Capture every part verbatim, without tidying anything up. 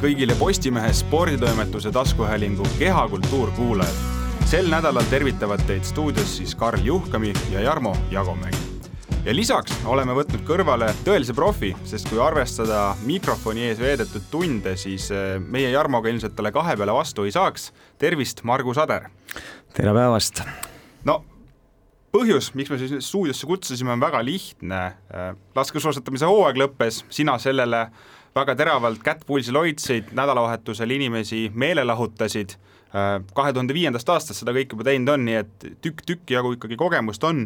kõigile Postimehe sporditoimetuse taskuhäälingu Kehakultuur kuulajad. Sel nädalal tervitavad teid stuudios siis Karl Juhkami ja Jarmo Jagomägi. Ja lisaks oleme võtnud kõrvale tõelise profi, sest kui arvestada mikrofoni ees veedetud tunde, siis meie Jarmoga ilmselt talle kahe peale vastu ei saaks. Tervist, Margus Ader! Tere päevast! No, põhjus, miks me siis stuudiosse kutsusime, on väga lihtne. Laskesuusatamise hooaeg lõppes, sina sellele väga teravalt kättpulsil hoidsid, nädalavahetusel inimesi meelelahutasid. kahe tuhande viiendast aastast seda kõik juba teinud on, nii et tükk-tükk jagu ikkagi kogemust on.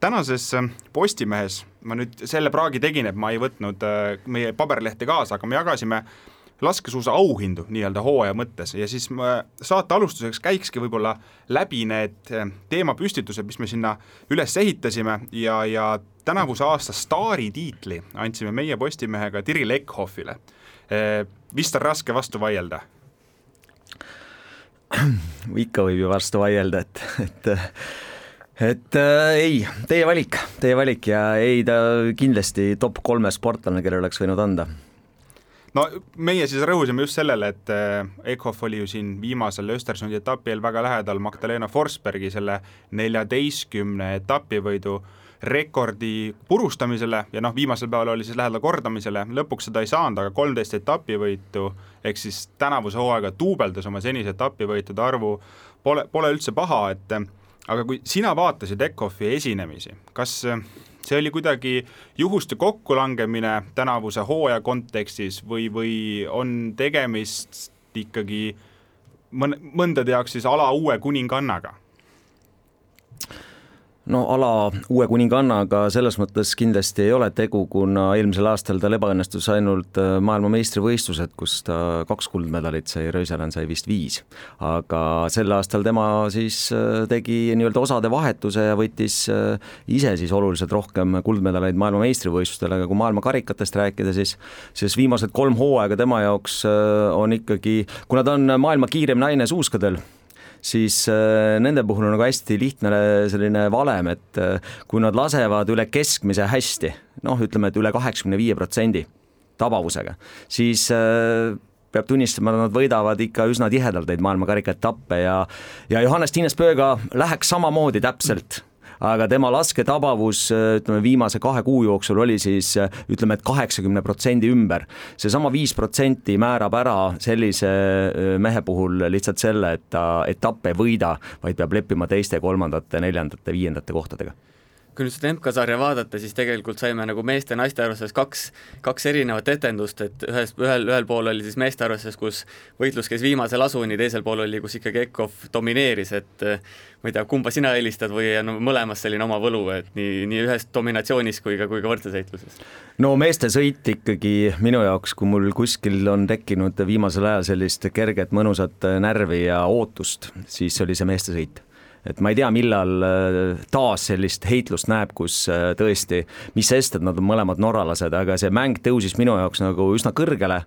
Tänases Postimehes, ma nüüd selle praagi tegin, et ma ei võtnud meie paberlehti kaasa, aga me jagasime laskesuusa auhindu nii-öelda hooaja mõttes ja siis saate alustuseks käikski võib-olla läbi need teemapüstitused, mis me sinna üles ehitasime ja, ja tänavuse aasta staari tiitli andsime meie Postimehega Tiri Lekhoffile. Vist on raske vastu vaielda? Ikka võib ju vastu vaielda, et, et, et äh, ei, teie valik, teie valik ja ei ta kindlasti top kolme sportlane, kelle oleks võinud anda. No meie siis rõhusime just sellele, et Ekhoff oli ju siin viimasel Östersundi etapil väga lähedal Magdalena Forsbergi selle neljateistkümne etapivõidu rekordi purustamisele ja noh, viimasel päeval oli siis lähedal kordamisele, lõpuks seda ei saanud, aga kolmteist etapivõitu ehk siis tänavuse hooaega tuubeldas oma senise etapivõitude arvu, pole, pole üldse paha, et aga kui sina vaatasid Ekhoffi esinemisi, kas see oli kuidagi juhuste kokkulangemine tänavuse hooaja kontekstis või, või on tegemist ikkagi mõndade jaoks siis ala uue kuningannaga? No ala uue kuningannaga selles mõttes kindlasti ei ole tegu, kuna eelmisel aastal ta ebaõnnestus ainult maailma meistrivõistlused, kus ta kaks kuldmedalit sai, Röiselen sai vist viis. Aga sel aastal tema siis tegi nii-öelda osade vahetuse ja võttis ise siis oluliselt rohkem kuldmedaleid maailma meistrivõistlustel, aga kui maailma karikatest rääkida, siis, siis viimased kolm hooaega tema jaoks on ikkagi, kuna ta on maailma kiirem naine suuskadel, siis nende puhul on nagu hästi lihtne selline valem, et kui nad lasevad üle keskmise hästi, noh ütleme, et üle kaheksakümne viie protsendi tabavusega, siis peab tunnistama, et nad võidavad ikka üsna tihedalt neid maailmakarika etappe ja, ja Johannes Tiinespööga läheks samamoodi täpselt, aga tema lasketabavus ütleme, viimase kahe kuu jooksul oli siis ütleme, et kaheksakümne protsendi ümber. See sama viis protsenti määrab ära sellise mehe puhul lihtsalt selle, et ta etappe ei võida, vaid peab leppima teiste, kolmandate, neljandate, viiendate kohtadega. Kui nüüd seda M K-sarja vaadata, siis tegelikult saime nagu meeste naiste arvestes kaks, kaks erinevat etendust, et ühes, ühel, ühel pool oli siis meeste arvestes, kus võitlus käis viimasel asuni, teisel pool oli, kus ikkagi Ekhoff domineeris, et ma ei tea, kumba sina helistad või no, mõlemas selline oma võlu, et nii, nii ühes dominatsioonis kui ka, kui ka võrdleseitluses. No meeste sõit ikkagi minu jaoks, kui mul kuskil on tekkinud viimasel ajal sellist kerget mõnusat närvi ja ootust, siis oli see meeste sõit. Et ma ei tea, millal taas sellist heitlust näeb, kus tõesti, mis sest, et nad on mõlemad norralased, aga see mäng tõusis minu jaoks nagu üsna kõrgele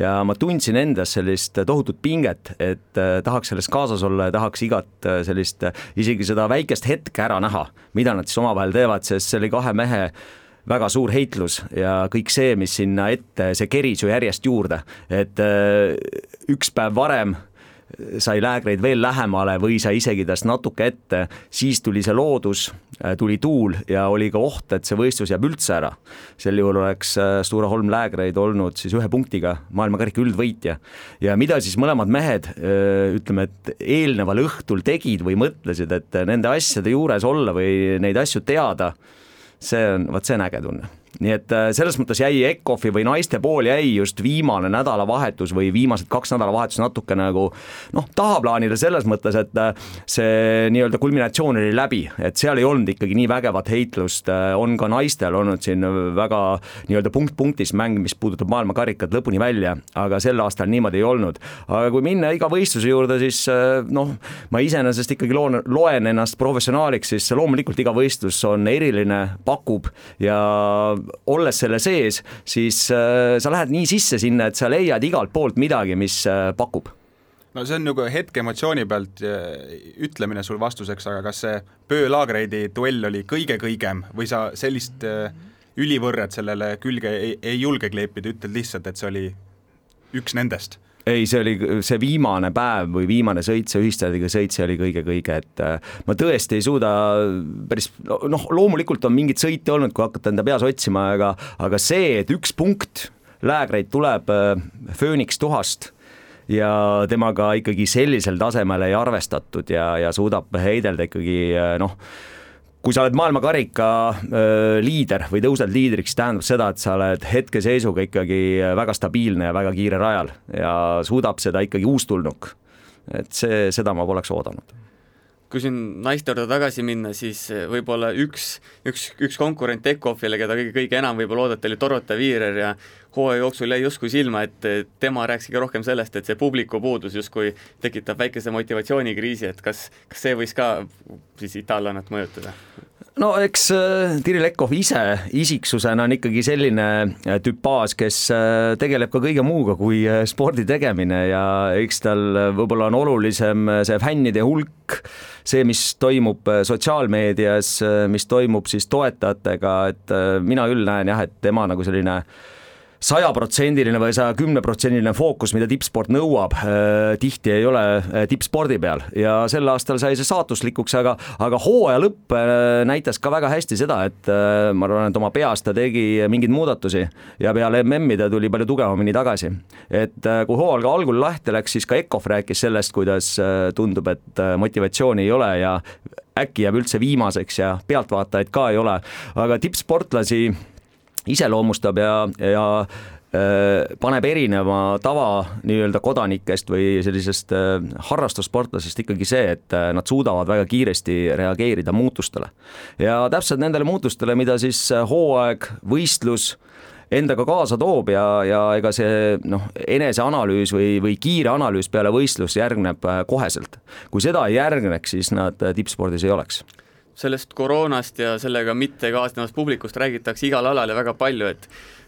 ja ma tundsin endas sellist tohutut pinget, et tahaks selles kaasas olla ja tahaks igat sellist, isegi seda väikest hetke ära näha, mida nad siis omavahel teevad, sest see oli kahe mehe väga suur heitlus ja kõik see, mis sinna ette, see keris ju järjest juurde, et üks päev varem sai läägreid veel lähemale või sai isegi tast natuke ette, siis tuli see loodus, tuli tuul ja oli ka oht, et see võistlus jääb üldse ära. Sel juhul oleks Stora Holm läägreid olnud siis ühe punktiga maailmakarika üldvõitja. Ja mida siis mõlemad mehed, ütleme, et eelneval õhtul tegid või mõtlesid, et nende asjade juures olla või neid asju teada, see on, vaat see on äge tunne. Nii et selles mõttes jäi Ekhoffi või naiste pool jäi just viimane nädalavahetus või viimased kaks nädalavahetus natuke nagu noh, tahaplaanile selles mõttes, et see nii-öelda kulminatsioon oli läbi, et seal ei olnud ikkagi nii vägevat heitlust, on ka naistel olnud siin väga nii-öelda punkt-punktis mäng, mis puudutab maailmakarikat lõpuni välja, aga sel aastal niimoodi ei olnud. Aga kui minna iga võistluse juurde, siis noh, ma iseenesest ikkagi loen, loen ennast professionaaliks, siis loomulikult iga võistlus on eriline, pakub ja olles selle sees, siis äh, sa lähed nii sisse sinna, et sa leiad igalt poolt midagi, mis äh, pakub. No see on nagu hetke emotsiooni pealt ütlemine sul vastuseks, aga kas see Pöö-Laagreidi duell oli kõige-kõigem või sa sellist äh, ülivõrret sellele külge ei, ei julge kleepida, ütled lihtsalt, et see oli üks nendest? Ei, see oli see viimane päev või viimane sõit, see ühistardiga sõit, see oli kõige-kõige, et ma tõesti ei suuda päris, noh, loomulikult on mingid sõite olnud, kui hakata enda peas otsima, aga, aga see, et üks punkt Läägreid tuleb Phoenix tuhast ja temaga ikkagi sellisel tasemel ei arvestatud ja, ja suudab heidelda ikkagi, noh, kui sa oled maailmakarika liider või tõused liidriks, tähendab seda, et sa oled hetkeseisuga ikkagi väga stabiilne ja väga kiire rajal ja suudab seda ikkagi uustulnuk. Et see, seda ma poleks oodanud. Kui siin naiste juurde tagasi minna, siis võib-olla üks, üks, üks konkurent Eckhoffile, keda kõige, kõige enam võib-olla oodata, oli Dorota Viirer ja hooaja jooksul jäi justkui silma, et tema rääkis ka rohkem sellest, et see publiku puudus justkui tekitab väikese motivatsioonikriisi, et kas, kas see võis ka siis itaallannat mõjutada? No eks Tiril Eckhoff ise isiksusena on ikkagi selline tüpaas, kes tegeleb ka kõige muuga kui spordi tegemine ja eks tal võib-olla on olulisem see fännide hulk, see, mis toimub sotsiaalmeedias, mis toimub siis toetajatega, et mina küll näen jah, et tema nagu selline sajaprotsendiline või saja kümne protsendiline fookus, mida tippsport nõuab, tihti ei ole tippspordi peal ja sel aastal sai see saatuslikuks, aga, aga hooaja lõpp näitas ka väga hästi seda, et ma arvan, et oma peas ta tegi mingeid muudatusi ja peale M M-i ta tuli palju tugevamini tagasi. Et kui hooaja algul lahti läks, siis ka Eckhoff rääkis sellest, kuidas tundub, et motivatsiooni ei ole ja äkki jääb üldse viimaseks ja pealtvaatajaid ka ei ole, aga tippsportlasi iseloomustab ja, ja äh, paneb erineva tava nii-öelda kodanikest või sellisest äh, harrastussportlasest ikkagi see, et äh, nad suudavad väga kiiresti reageerida muutustele. Ja täpselt nendele muutustele, mida siis hooaeg, võistlus endaga kaasa toob ja, ja ega see noh, eneseanalüüs või, või kiire analüüs peale võistlus järgneb koheselt. Kui seda ei järgneks, siis nad tippspordis ei oleks. Sellest koroonast ja sellega mitte kaasnevast publikust räägitakse igal alal ja väga palju, et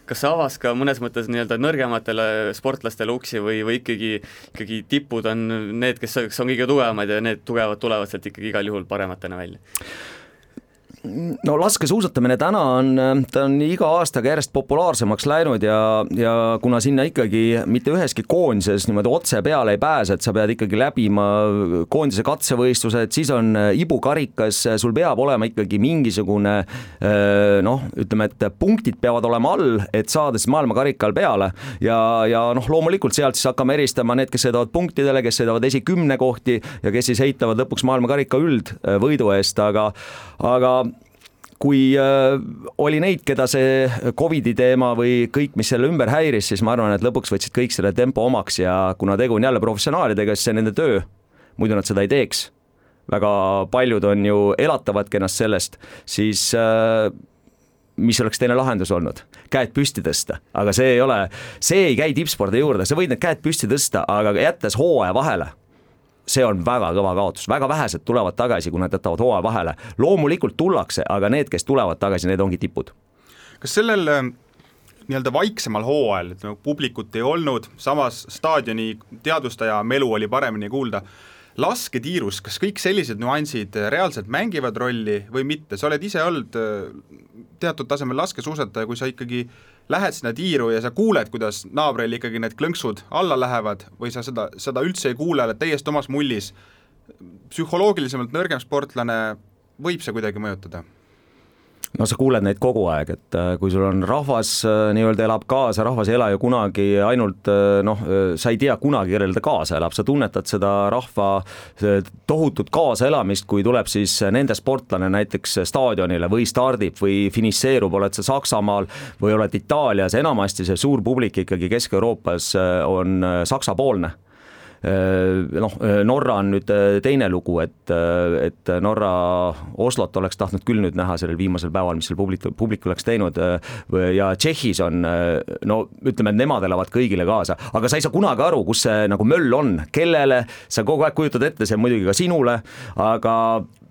kas see avas ka mõnes mõttes nii-öelda nõrgematele sportlastele uksi või, või ikkagi, ikkagi tipud on need, kes on kõige tugevamad ja need tugevad tulevad sealt ikkagi igal juhul parematena välja? No laskesuusatamine täna on, ta on iga aastaga järjest populaarsemaks läinud ja, ja kuna sinna ikkagi mitte üheski koondises niimoodi otse peale ei pääse, et sa pead ikkagi läbima koondise katsevõistlused, siis on ibukarikas, sul peab olema ikkagi mingisugune noh, ütleme, et punktid peavad olema all, et saada siis maailmakarikal peale ja, ja noh, loomulikult sealt siis hakkame eristama need, kes sõidavad punktidele, kes sõidavad esikümne kohti ja kes siis heitavad lõpuks maailmakarika üldvõidu eest, aga, aga kui äh, oli neid, keda see Covidi teema või kõik, mis selle ümber häiris, siis ma arvan, et lõpuks võtsid kõik selle tempo omaks ja kuna tegu on jälle professionaalidega, siis see nende töö, muidu nad seda ei teeks. Väga paljud on ju elatavadki ennast sellest, siis äh, mis oleks teine lahendus olnud? Käed püsti tõsta, aga see ei ole, see ei käi tippspordi juurde, sa võid need käed püsti tõsta, aga jättes hooaja vahele. See on väga kõva kaotus, väga vähesed tulevad tagasi, kui nad jätavad hooaja vahele. Loomulikult tullakse, aga need, kes tulevad tagasi, need ongi tipud. Kas sellel nii-öelda vaiksemal hooajal, et publikut ei olnud, samas staadioni teadvustaja melu oli paremini kuulda, lasketiirus, kas kõik sellised nüansid reaalselt mängivad rolli või mitte? Sa oled ise olnud teatud tasemel laskesuusataja, kui sa ikkagi lähed sinna tiiru ja sa kuuled, kuidas naabril ikkagi need klõnksud alla lähevad või sa seda, seda üldse ei kuule, oled täiesti omas mullis. Psühholoogilisemalt nõrgem sportlane võib see kuidagi mõjutada? No sa kuuled neid kogu aeg, et kui sul on rahvas nii-öelda elab kaasa, rahvas ei ela ju kunagi ainult, noh, sa ei tea kunagi, kellel ta kaasa elab, sa tunnetad seda rahva tohutut kaasaelamist, kui tuleb siis nende sportlane näiteks staadionile või stardib või finiseerub, oled sa Saksamaal või oled Itaalias, enamasti see suur publik ikkagi Kesk-Euroopas on saksapoolne. Noh, Norra on nüüd teine lugu, et, et Norra Oslot oleks tahtnud küll nüüd näha sellel viimasel päeval, mis seal publik, publik oleks teinud ja Tšehhis on, no ütleme, et nemad elavad kõigile kaasa, aga sa ei saa kunagi aru, kus see nagu möll on, kellele, sa kogu aeg kujutad ette, see muidugi ka sinule, aga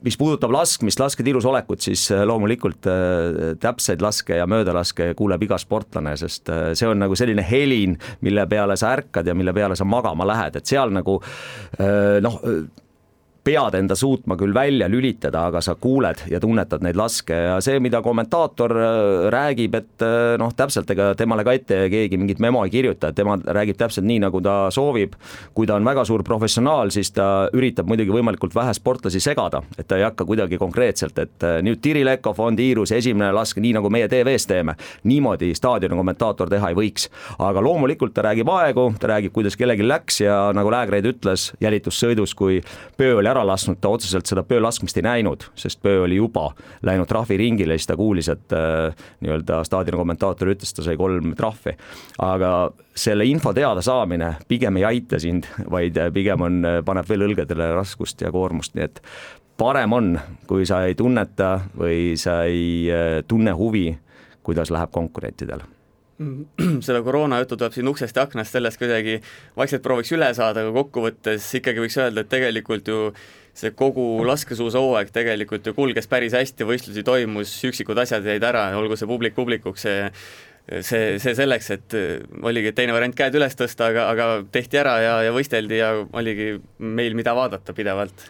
mis puudutab laskmist, lasketiirus olekut, siis loomulikult täpseid laske ja möödalaske kuuleb iga sportlane, sest see on nagu selline helin, mille peale sa ärkad ja mille peale sa magama lähed, et seal nagu noh, pead enda suutma küll välja lülitada, aga sa kuuled ja tunnetad neid laske ja see, mida kommentaator räägib, et noh, täpselt ega temale ka ette keegi mingit memo ei kirjuta, et tema räägib täpselt nii, nagu ta soovib. Kui ta on väga suur professionaal, siis ta üritab muidugi võimalikult vähe sportlasi segada, et ta ei hakka kuidagi konkreetselt, et nüüd Tiri Lekov on tiirus esimene lask, nii nagu meie T V-s teeme. Niimoodi staadioni kommentaator teha ei võiks, aga loomulikult ta räägib aegu, ta räägib, kuidas kellegi läks ja nagu Läägreid ütles jälitussõidus, kui pöö oli ära lasknud, ta otseselt seda pöö laskmist ei näinud, sest pöö oli juba läinud trahviringile ja siis ta kuulis, et äh, nii-öelda staadioni kommentaator ütles, ta sai kolm trahvi. Aga selle info teada saamine pigem ei aita sind, vaid pigem on, paneb veel õlgedele raskust ja koormust, nii et parem on, kui sa ei tunneta või sa ei tunne huvi, kuidas läheb konkurentidel. Seda koroona juttu tuleb siin uksest ja aknast, sellest kuidagi vaikselt prooviks üle saada, aga kokkuvõttes ikkagi võiks öelda, et tegelikult ju see kogu laskesuusahooaeg tegelikult ju kulges päris hästi, võistlusi toimus, üksikud asjad jäid ära, olgu see publik publikuks, see, see, see selleks, et oligi teine variant käed üles tõsta, aga, aga tehti ära ja, ja võisteldi ja oligi meil mida vaadata pidevalt.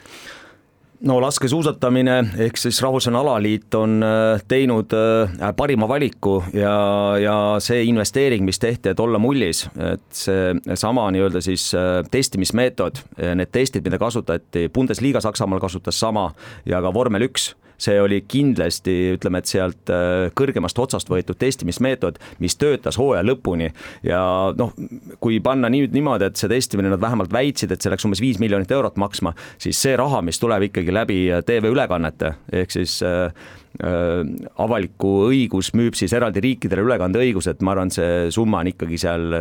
No laskesuusatamine ehk siis Rahvusvaheline Alaliit on teinud parima valiku ja, ja see investeering, mis tehti, et olla mullis, et see sama nii-öelda siis testimismeetod, need testid, mida kasutati, Bundesliga Saksamaal kasutas sama ja ka vormel üks, see oli kindlasti, ütleme, et sealt kõrgemast otsast võetud testimismeetod, mis töötas hooaja lõpuni ja noh, kui panna nüüd niimoodi, et see testimine nad vähemalt väitsid, et see läks umbes viis miljonit eurot maksma, siis see raha, mis tuleb ikkagi läbi T V-ülekannete, ehk siis äh, äh, avaliku õigus müüb siis eraldi riikidele ülekande õigus, et ma arvan, see summa on ikkagi seal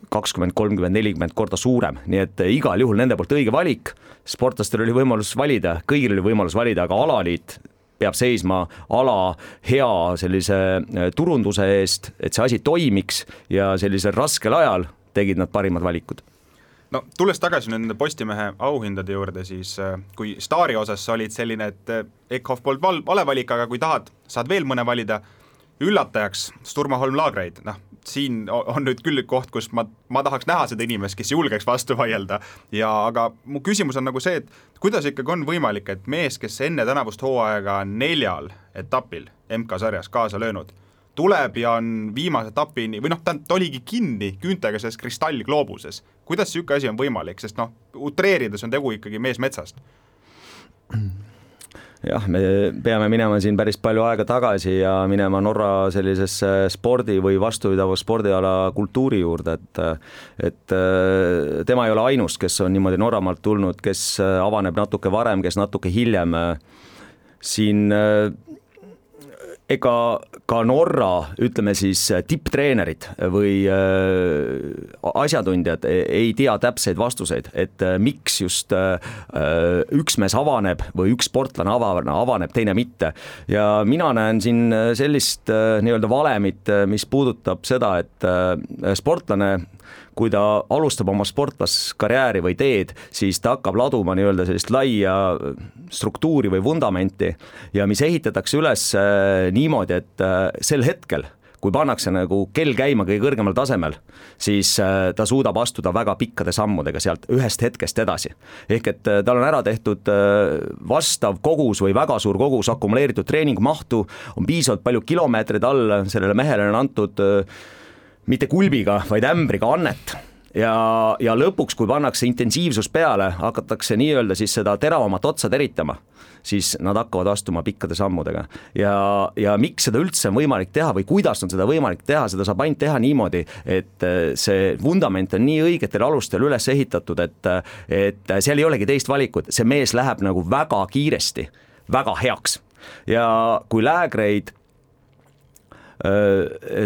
kakskümmend, kolmkümmend, nelikümmend korda suurem, nii et igal juhul nende poolt õige valik, sportlastel oli võimalus valida, kõigil oli võimalus valida, aga alaliit peab seisma ala hea sellise turunduse eest, et see asi toimiks ja sellisel raskel ajal tegid nad parimad valikud. No tulles tagasi nende Postimehe auhindade juurde, siis kui staari osas sa olid selline, et Ekhoff polnud val- vale valik, aga kui tahad, saad veel mõne valida, üllatajaks Sturmaholm Laagreid, noh, siin on nüüd küll koht, kus ma, ma tahaks näha seda inimest, kes julgeks vastu vaielda ja aga mu küsimus on nagu see, et kuidas ikkagi on võimalik, et mees, kes enne tänavust hooaega neljal etapil M K sarjas kaasa löönud, tuleb ja on viimase etapini või noh, ta, ta oligi kinni küüntega selles kristallgloobuses. Kuidas siuke asi on võimalik, sest noh, utreerides on tegu ikkagi mees metsast? Jah, me peame minema siin päris palju aega tagasi ja minema Norra sellisesse spordi või vastupidava spordiala kultuuri juurde, et, et tema ei ole ainus, kes on niimoodi Norramaalt tulnud, kes avaneb natuke varem, kes natuke hiljem. Siin ega ka Norra, ütleme siis tipptreenerid või asjatundjad ei tea täpseid vastuseid, et miks just üks mees avaneb või üks sportlane avaneb, teine mitte. Ja mina näen siin sellist nii-öelda valemit, mis puudutab seda, et sportlane, kui ta alustab oma sportlaskarjääri või teed, siis ta hakkab laduma nii-öelda sellist laia struktuuri või vundamenti ja mis ehitatakse üles niimoodi, et sel hetkel, kui pannakse nagu kell käima kõige kõrgemal tasemel, siis ta suudab astuda väga pikkade sammudega sealt ühest hetkest edasi. Ehk et tal on ära tehtud vastav kogus või väga suur kogus akumuleeritud treeningmahtu, on piisavalt palju kilomeetrid all, sellele mehele on antud mitte kulbiga, vaid ämbriga annet. Ja, ja lõpuks, kui pannakse intensiivsus peale, hakatakse nii-öelda siis seda teravamat otsa teritama, siis nad hakkavad astuma pikkade sammudega. Ja, ja miks seda üldse on võimalik teha või kuidas on seda võimalik teha, seda saab ainult teha niimoodi, et see vundament on nii õigetel alustel üles ehitatud, et, et seal ei olegi teist valikut, see mees läheb nagu väga kiiresti, väga heaks. Ja kui Läägreid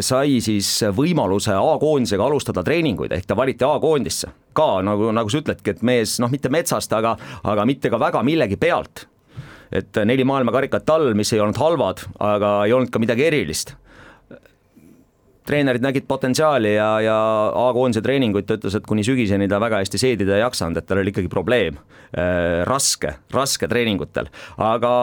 sai siis võimaluse A-koondisega alustada treeninguid, ehk ta valiti A-koondisse ka, nagu, nagu sa ütledki, et mees, noh, mitte metsast, aga, aga mitte ka väga millegi pealt, et neli maailmakarikat all, mis ei olnud halvad, aga ei olnud ka midagi erilist. Treenerid nägid potentsiaali ja, ja A-koondise treeninguid ta ütles, et kuni sügiseni ta väga hästi seedida ei jaksanud, et tal oli ikkagi probleem, raske, raske treeningutel, aga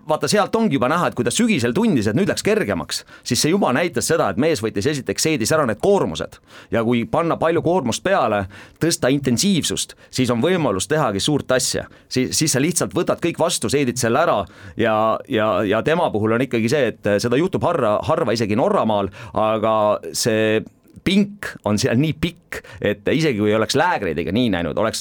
vaata sealt ongi juba näha, et kui ta sügisel tundis, et nüüd läks kergemaks, siis see juba näitas seda, et mees võttis esiteks seedis ära need koormused ja kui panna palju koormust peale, tõsta intensiivsust, siis on võimalus tehagi suurt asja. Siis, siis sa lihtsalt võtad kõik vastu, seedid selle ära ja, ja, ja tema puhul on ikkagi see, et seda juhtub harva, harva isegi Norramaal, aga see pink on seal nii pikk, et isegi kui oleks läägreidiga nii näinud, oleks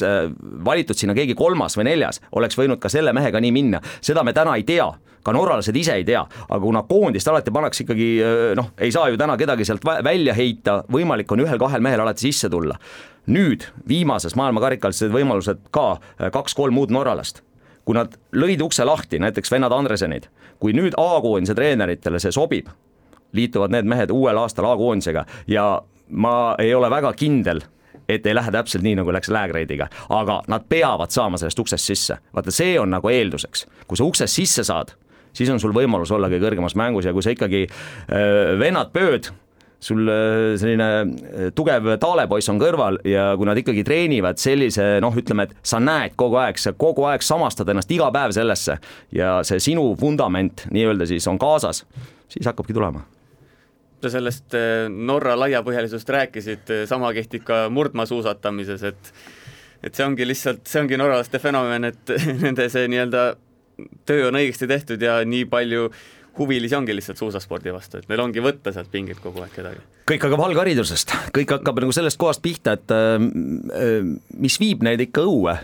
valitud sinna keegi kolmas või neljas, oleks võinud ka selle mehega nii minna. Seda me täna ei tea, ka norralased ise ei tea, aga kuna koondist alati pannakse ikkagi, noh, ei saa ju täna kedagi sealt välja heita, võimalik on ühel-kahel mehel alati sisse tulla. Nüüd viimases maailmakarikals võimalused ka kaks-kolm muud norralast. Kui nad lõid ukse lahti, näiteks vennad Andresenid, kui nüüd A-koondise treeneritele see sobib, liituvad need mehed uuel aastal A-koondisega ja ma ei ole väga kindel, et ei lähe täpselt nii, nagu läks läägreidiga, aga nad peavad saama sellest uksest sisse. Vaata, see on nagu eelduseks. Kui sa uksest sisse saad, siis on sul võimalus ollagi kõrgemas mängus ja kui sa ikkagi äh, vennad pööd, sul selline tugev taalepoiss on kõrval ja kui nad ikkagi treenivad sellise, noh ütleme, et sa näed kogu aeg, sa kogu aeg samastad ennast iga päev sellesse ja see sinu fundament nii-öelda siis on kaasas, siis hakkabki tulema. Sa sellest Norra laiapõhjalisust rääkisid, sama kehtib ka murdmaasuusatamises, et, et see ongi lihtsalt, see ongi norralaste fenomen, et nende see nii-öelda töö on õigesti tehtud ja nii palju huvilisi ongi lihtsalt suusaspordi vastu, et neil ongi võtta sealt pingilt kogu aeg kedagi. Kõik hakkab algharidusest, kõik hakkab nagu sellest kohast pihta, et mis viib neid ikka õue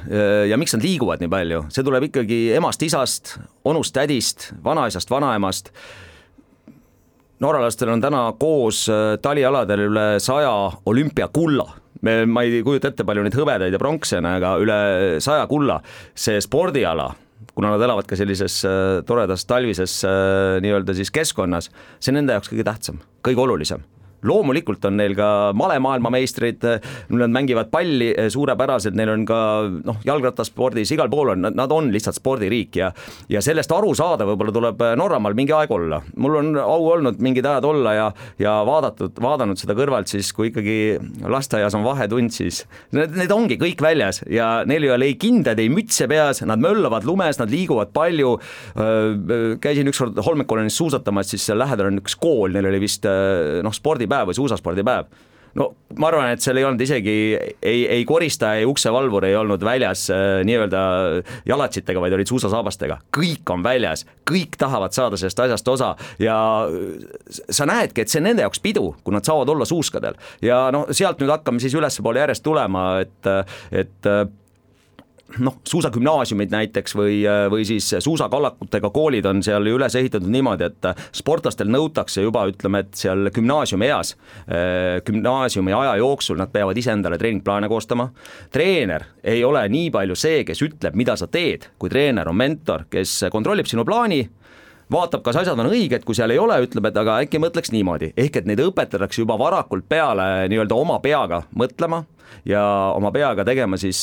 ja miks nad liiguvad nii palju, see tuleb ikkagi emast, isast, onust, tädist, vanaisast, vanaemast. Norralastel on täna koos talialadel üle saja olümpiakulla. Me, ma ei kujuta ette palju neid hõbedaid ja pronksena, aga üle saja kulla. See spordiala, kuna nad elavad ka sellises toredas talvises nii-öelda siis keskkonnas, see on nende jaoks kõige tähtsam, kõige olulisem. Loomulikult on neil ka malemaailmameistrid, nad mängivad palli suurepäraselt, neil on ka noh, jalgrattaspordis, igal pool on, nad on lihtsalt spordiriik ja, ja sellest aru saada võib-olla tuleb Norramaal mingi aeg olla. Mul on au olnud mingid ajad olla ja, ja vaadatud, vaadanud seda kõrvalt siis, kui ikkagi lasteaias on vahetund, siis need, need ongi kõik väljas ja neil ei ole ei kinded, ei mütse peas, nad möllavad lumes, nad liiguvad palju. Käisin ükskord Holmenkollonis suusatamas, siis seal lähedal on üks kool, neil oli vist noh, spordipäev või suusaspordipäev. No ma arvan, et seal ei olnud isegi ei, ei korista, ei uksevalvur ei olnud väljas äh, nii-öelda jalatsitega, vaid olid suusasaabastega. Kõik on väljas, kõik tahavad saada sellest asjast osa ja sa näedki, et see on nende jaoks pidu, kui nad saavad olla suuskadel. Ja no sealt nüüd hakkame siis ülespoole järjest tulema, et, et noh, suusagümnaasiumid näiteks või, või siis suusakallakutega koolid on seal üles ehitatud niimoodi, et sportlastel nõutakse juba, ütleme, et seal gümnaasiumi eas, gümnaasiumi aja jooksul nad peavad ise endale treeningplaane koostama. Treener ei ole nii palju see, kes ütleb, mida sa teed, kui treener on mentor, kes kontrollib sinu plaani, vaatab, kas asjad on õiged, kui seal ei ole, ütleb, et aga äkki mõtleks niimoodi. Ehk et neid õpetatakse juba varakult peale nii-öelda oma peaga mõtlema ja oma peaga tegema siis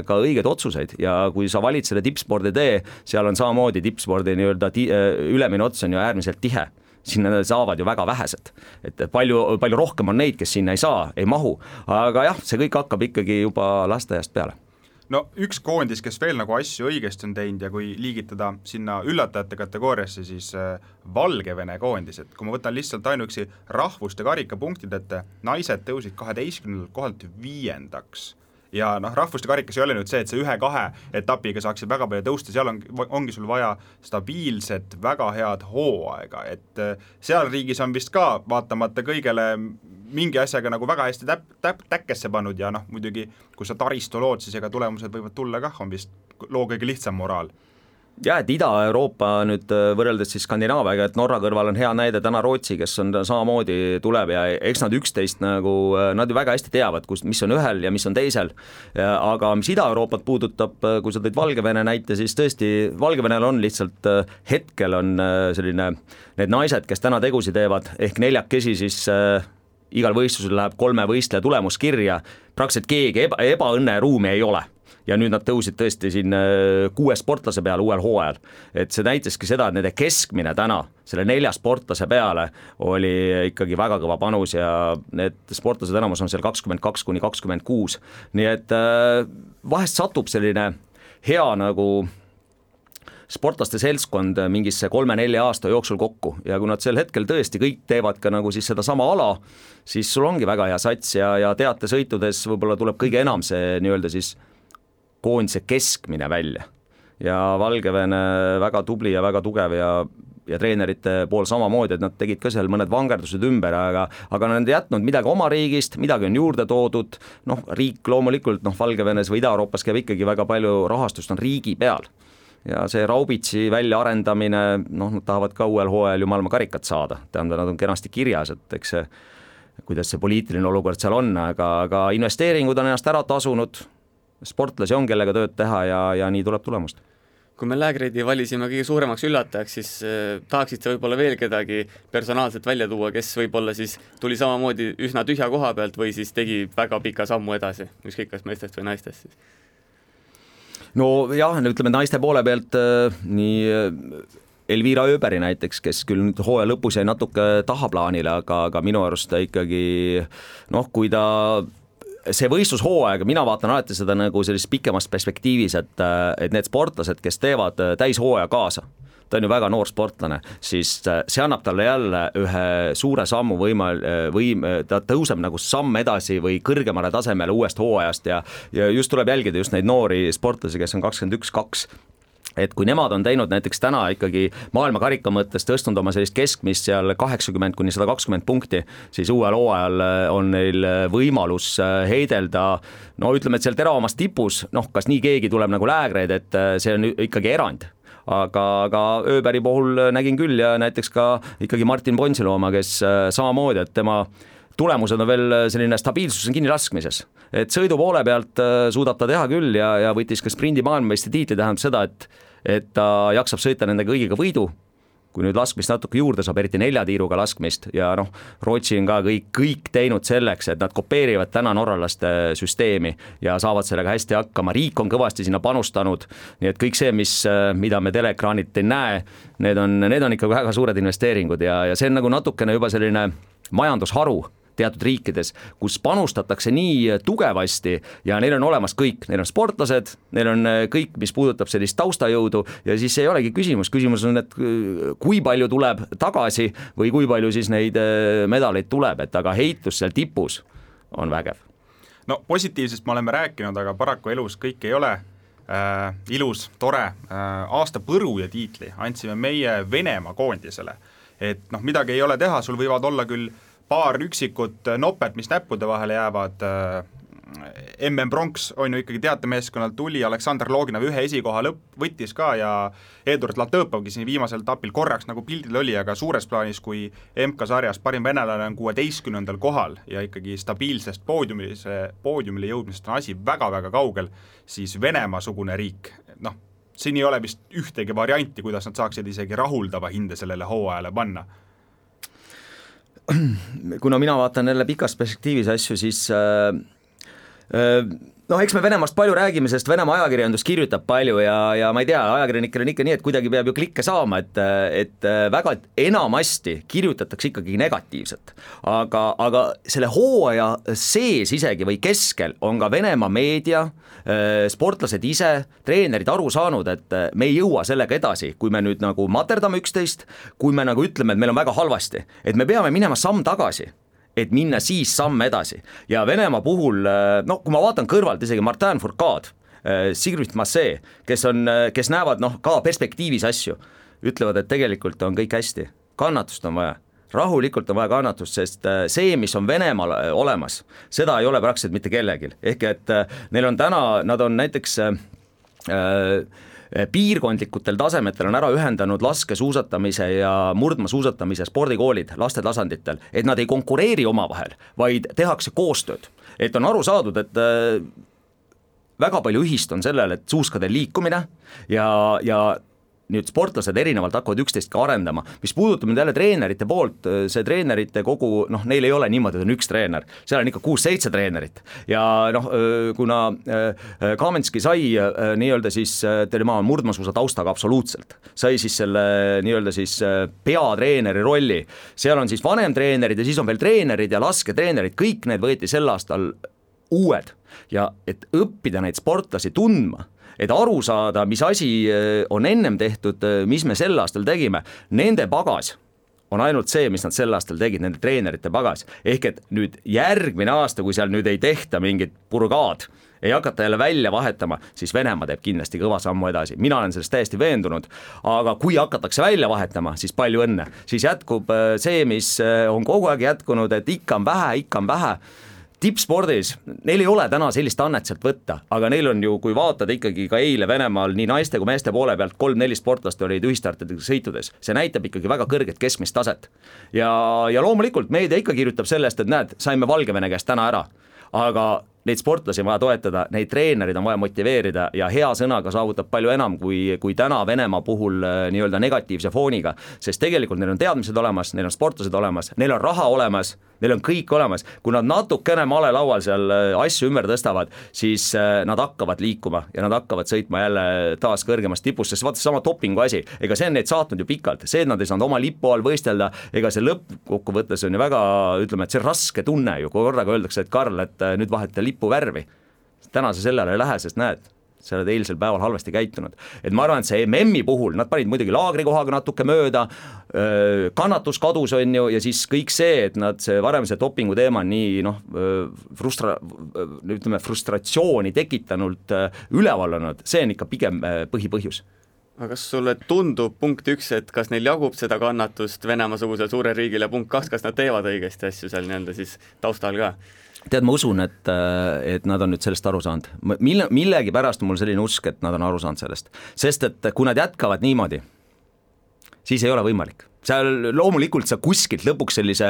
ka õiged otsuseid ja kui sa valid selle tippspordi tee, seal on samamoodi tippspordi nii-öelda ti- ülemine ots on ju äärmiselt tihe. Sinna saavad ju väga vähesed, et palju, palju rohkem on neid, kes sinna ei saa, ei mahu, aga jah, see kõik hakkab ikkagi juba lasteaiast peale. No üks koondis, kes veel nagu asju õigesti on teinud ja kui liigitada sinna üllatajate kategooriasse, siis Valgevene koondis, et kui ma võtan lihtsalt ainuüksi rahvuste karikapunktid, et naised tõusid kaheteistkümnendalt kohalt viiendaks ja noh, rahvuste karikas ei ole nüüd see, et see ühe-kahe etapiga saaksid väga palju tõusta, seal on, ongi sul vaja stabiilset, väga head hooaega, et seal riigis on vist ka vaatamata kõigele mingi asjaga nagu väga hästi täp, täp, täkkesse pannud ja noh, muidugi kui sa taristu lood, siis ega tulemused võivad tulla kah, on vist loo kõige lihtsam moraal. Ja, et Ida-Euroopa nüüd võrreldes siis Skandinaaviaga, et Norra kõrval on hea näide täna Rootsi, kes on samamoodi tuleb ja eks nad üksteist nagu, nad ju väga hästi teavad, kus, mis on ühel ja mis on teisel. Aga mis Ida-Euroopat puudutab, kui sa tõid Valgevene näite, siis tõesti Valgevenel on lihtsalt hetkel on selline, need naised, kes täna tegusi teevad, ehk neljakesi siis igal võistlusel läheb kolme võistleja tulemuskirja, praktiliselt keegi eba, ebaõnne ruumi ei ole. Ja nüüd nad tõusid tõesti siin kuue sportlase peale uuel hooajal. Et see näiteski seda, et nende keskmine täna selle nelja sportlase peale oli ikkagi väga kõva panus ja need sportlased enamus on seal kakskümmend kaks kuni kakskümmend kuus. Nii et vahest satub selline hea nagu sportlaste seltskond mingisse kolme-nelja aasta jooksul kokku ja kui nad sel hetkel tõesti kõik teevad ka nagu siis seda sama ala, siis sul ongi väga hea sats ja, ja teatesõitudes võib-olla tuleb kõige enam see nii-öelda siis koondise keskmine välja. Ja Valgevene väga tubli ja väga tugev ja, ja treenerite pool samamoodi, et nad tegid ka seal mõned vangerdused ümber, aga, aga nad on jätnud midagi oma riigist, midagi on juurde toodud, noh riik loomulikult, noh Valgevenes või Ida-Euroopas käib ikkagi väga palju rahastust on riigi peal. Ja see Raubitsi väljaarendamine, noh nad tahavad ka uuel hooajal ju maailma karikat saada, tähendab nad on kenasti kirjas, et eks see, kuidas see poliitiline olukord seal on, aga, aga investeeringud on ennast ära tasunud, sportlasi on kellega tööd teha ja, ja nii tuleb tulemust. Kui me Lägreidi valisime kõige suuremaks üllatajaks, siis eh, tahaksid sa võib-olla veel kedagi personaalselt välja tuua, kes võib-olla siis tuli samamoodi üsna tühja koha pealt või siis tegi väga pika sammu edasi, ükskõik kas meestest või naistest siis? No jah, ütleme naiste poole pealt äh, nii Elvira Öberi näiteks, kes küll nüüd hooaja lõpus jäi natuke tahaplaanile, aga, aga minu arust ta ikkagi noh, kui ta see võistlushooaeg, mina vaatan alati seda nagu sellist pikemast perspektiivis, et, et need sportlased, kes teevad täishooaja kaasa, ta on ju väga noor sportlane, siis see annab talle jälle ühe suure sammu võimal, võim, ta tõuseb nagu samm edasi või kõrgemale tasemele uuest hooajast ja, ja just tuleb jälgida just neid noori sportlasi, kes on kakskümmend üks kaks, et kui nemad on teinud näiteks täna ikkagi maailmakarika mõttes tõstnud oma sellist keskmist seal kaheksakümmend kuni sada kakskümmend punkti, siis uuel hooajal on neil võimalus heidelda, no ütleme, et seal teravamast tipus, noh, kas nii keegi tuleb nagu Lägreid, et see on ikkagi erand. Aga, aga Öberi puhul nägin küll ja näiteks ka ikkagi Martin Ponsilu oma, kes samamoodi, et tema tulemused on veel selline stabiilsus on kinni laskmises, et sõidu poole pealt suudab ta teha küll ja, ja võttis ka sprindi maailmameistri tiitli, tähendab seda, et, et ta jaksab sõita nende kõigiga võidu, kui nüüd laskmist natuke juurde saab, eriti nelja tiiruga laskmist ja noh, Rootsi on ka kõik, kõik teinud selleks, et nad kopeerivad täna norralaste süsteemi ja saavad sellega hästi hakkama, riik on kõvasti sinna panustanud, nii et kõik see, mis, mida me teleekraanilt ei näe, need on, need on ikka väga suured investeeringud ja, ja see on nagu natukene juba selline majandusharu teatud riikides, kus panustatakse nii tugevasti ja neil on olemas kõik, neil on sportlased, neil on kõik, mis puudutab sellist taustajõudu ja siis ei olegi küsimus, küsimus on, et kui palju tuleb tagasi või kui palju siis neid medaleid tuleb, et aga heitlus seal tipus on vägev. No positiivsest me oleme rääkinud, aga paraku elus kõik ei ole äh, ilus, tore äh, aasta põru ja tiitli andsime meie Venemaa koondisele, et noh, midagi ei ole teha, sul võivad olla küll paar üksikut nopet, mis näppude vahele jäävad, M M Bronx on ju ikkagi teatemeeskonnalt tuli, Aleksandr Loginov ühe esikoha lõpp võttis ka ja Eduard Latõpovgi siin viimasel etapil korraks nagu pildil oli, aga suures plaanis, kui M K sarjas parim venelane on kuueteistkümnendal kohal ja ikkagi stabiilsest poodiumile, poodiumile jõudmisest on asi väga-väga kaugel, siis Venemaa-sugune riik, noh, siin ei ole vist ühtegi varianti, kuidas nad saaksid isegi rahuldava hinde sellele hooajale panna. Kuna mina vaatan jälle pikas perspektiivis asju, siis äh, äh, noh, eks me Venemaast palju räägime, sest Venemaa ajakirjandus kirjutab palju ja, ja ma ei tea, ajakirjanikel on ikka nii, et kuidagi peab ju klikke saama, et, et väga enamasti kirjutatakse ikkagi negatiivselt. Aga, aga selle hooaja sees isegi või keskel on ka Venemaa meedia, sportlased ise, treenerid aru saanud, et me ei jõua sellega edasi, kui me nüüd nagu materdame üksteist, kui me nagu ütleme, et meil on väga halvasti, et me peame minema samm tagasi, et minna siis samm edasi. Ja Venemaa puhul, no kui ma vaatan kõrvalt isegi Martin Fourcade, Sigrid Massé, kes, on, kes näevad noh, ka perspektiivis asju, ütlevad, et tegelikult on kõik hästi, kannatust on vaja. Rahulikult on vaja kannatust, sest see, mis on Venemaal olemas, seda ei ole praktiliselt mitte kellegil. Ehk et neil on täna, nad on näiteks äh, piirkondlikutel tasemetel on ära ühendanud laskesuusatamise ja murdmaasuusatamise spordikoolid laste tasanditel, et nad ei konkureeri omavahel, vaid tehakse koostööd. Et on aru saadud, et äh, väga palju ühist on sellel, et suuskade liikumine ja, ja nüüd sportlased erinevalt hakkavad üksteist ka arendama, mis puudutab nüüd jälle treenerite poolt, see treenerite kogu, noh, neil ei ole niimoodi, et on üks treener, seal on ikka kuus-seitse treenerit ja noh, kuna Kamenski sai nii-öelda siis, tema on murdmaasuusa taustaga absoluutselt, sai siis selle nii-öelda siis peatreeneri rolli, seal on siis vanemtreenerid ja siis on veel treenerid ja lasketreenerid, kõik need võeti sel aastal uued ja et õppida neid sportlasi tundma, et aru saada, mis asi on ennem tehtud, mis me sel aastal tegime, nende pagas on ainult see, mis nad sel aastal tegid, nende treenerite pagas. Ehk et nüüd järgmine aasta, kui seal nüüd ei tehta mingit purgaad, ei hakata jälle välja vahetama, siis Venemaa teeb kindlasti kõva sammu edasi. Mina olen sellest täiesti veendunud, aga kui hakatakse välja vahetama, siis palju õnne. Siis jätkub see, mis on kogu aeg jätkunud, et ikka on vähe, ikka on vähe. Tippspordis, neil ei ole täna sellist annet sealt võtta, aga neil on ju, kui vaatad ikkagi ka eile Venemaal nii naiste kui meeste poole pealt kolm-neli sportlast olid ühistartidega sõitudes, see näitab ikkagi väga kõrget keskmist taset. Ja, ja loomulikult meedia ikka kirjutab sellest, et näed, saime Valgevene käest täna ära, aga neid sportlasi on vaja toetada, neid treenerid on vaja motiveerida ja hea sõnaga saavutab palju enam kui, kui täna Venemaa puhul nii-öelda negatiivse fooniga, sest tegelikult neil on teadmised olemas, neil on sportlased olemas, neil on raha olemas, neil on kõik olemas, kui nad natukene malelaual seal asju ümber tõstavad, siis nad hakkavad liikuma ja nad hakkavad sõitma jälle taas kõrgemast tipust, sest vaata sama dopingu asi, ega see on neid saatnud ju pikalt, see, et nad ei saanud oma lipu all võistelda, ega see lõppkokkuvõttes on ju väga, ütleme, et see raske tunne ju, kui korraga öeldakse, et Karl, et nüüd vahetada lipu värvi. Täna see sellele ei lähe, sest näed, sa oled eilsel päeval halvasti käitunud. Et ma arvan, et see M M-i puhul, nad panid muidugi laagrikohaga natuke mööda, kannatus kadus on ju, ja siis kõik see, et nad see varem see dopingu teema nii noh, frustra, ütleme, frustratsiooni tekitanult üleval olnud, see on ikka pigem põhipõhjus. Aga kas sulle tundub punkt üks, et kas neil jagub seda kannatust Venemaa-sugusel suurel riigil ja punkt kaks, kas nad teevad õigesti asju seal nii-öelda siis taustal ka? Tead, ma usun, et, et nad on nüüd sellest aru saanud. Mille, millegi pärast on mul selline usk, et nad on aru saanud sellest. Sest et kui nad jätkavad niimoodi, siis ei ole võimalik. Seal loomulikult sa kuskilt lõpuks sellise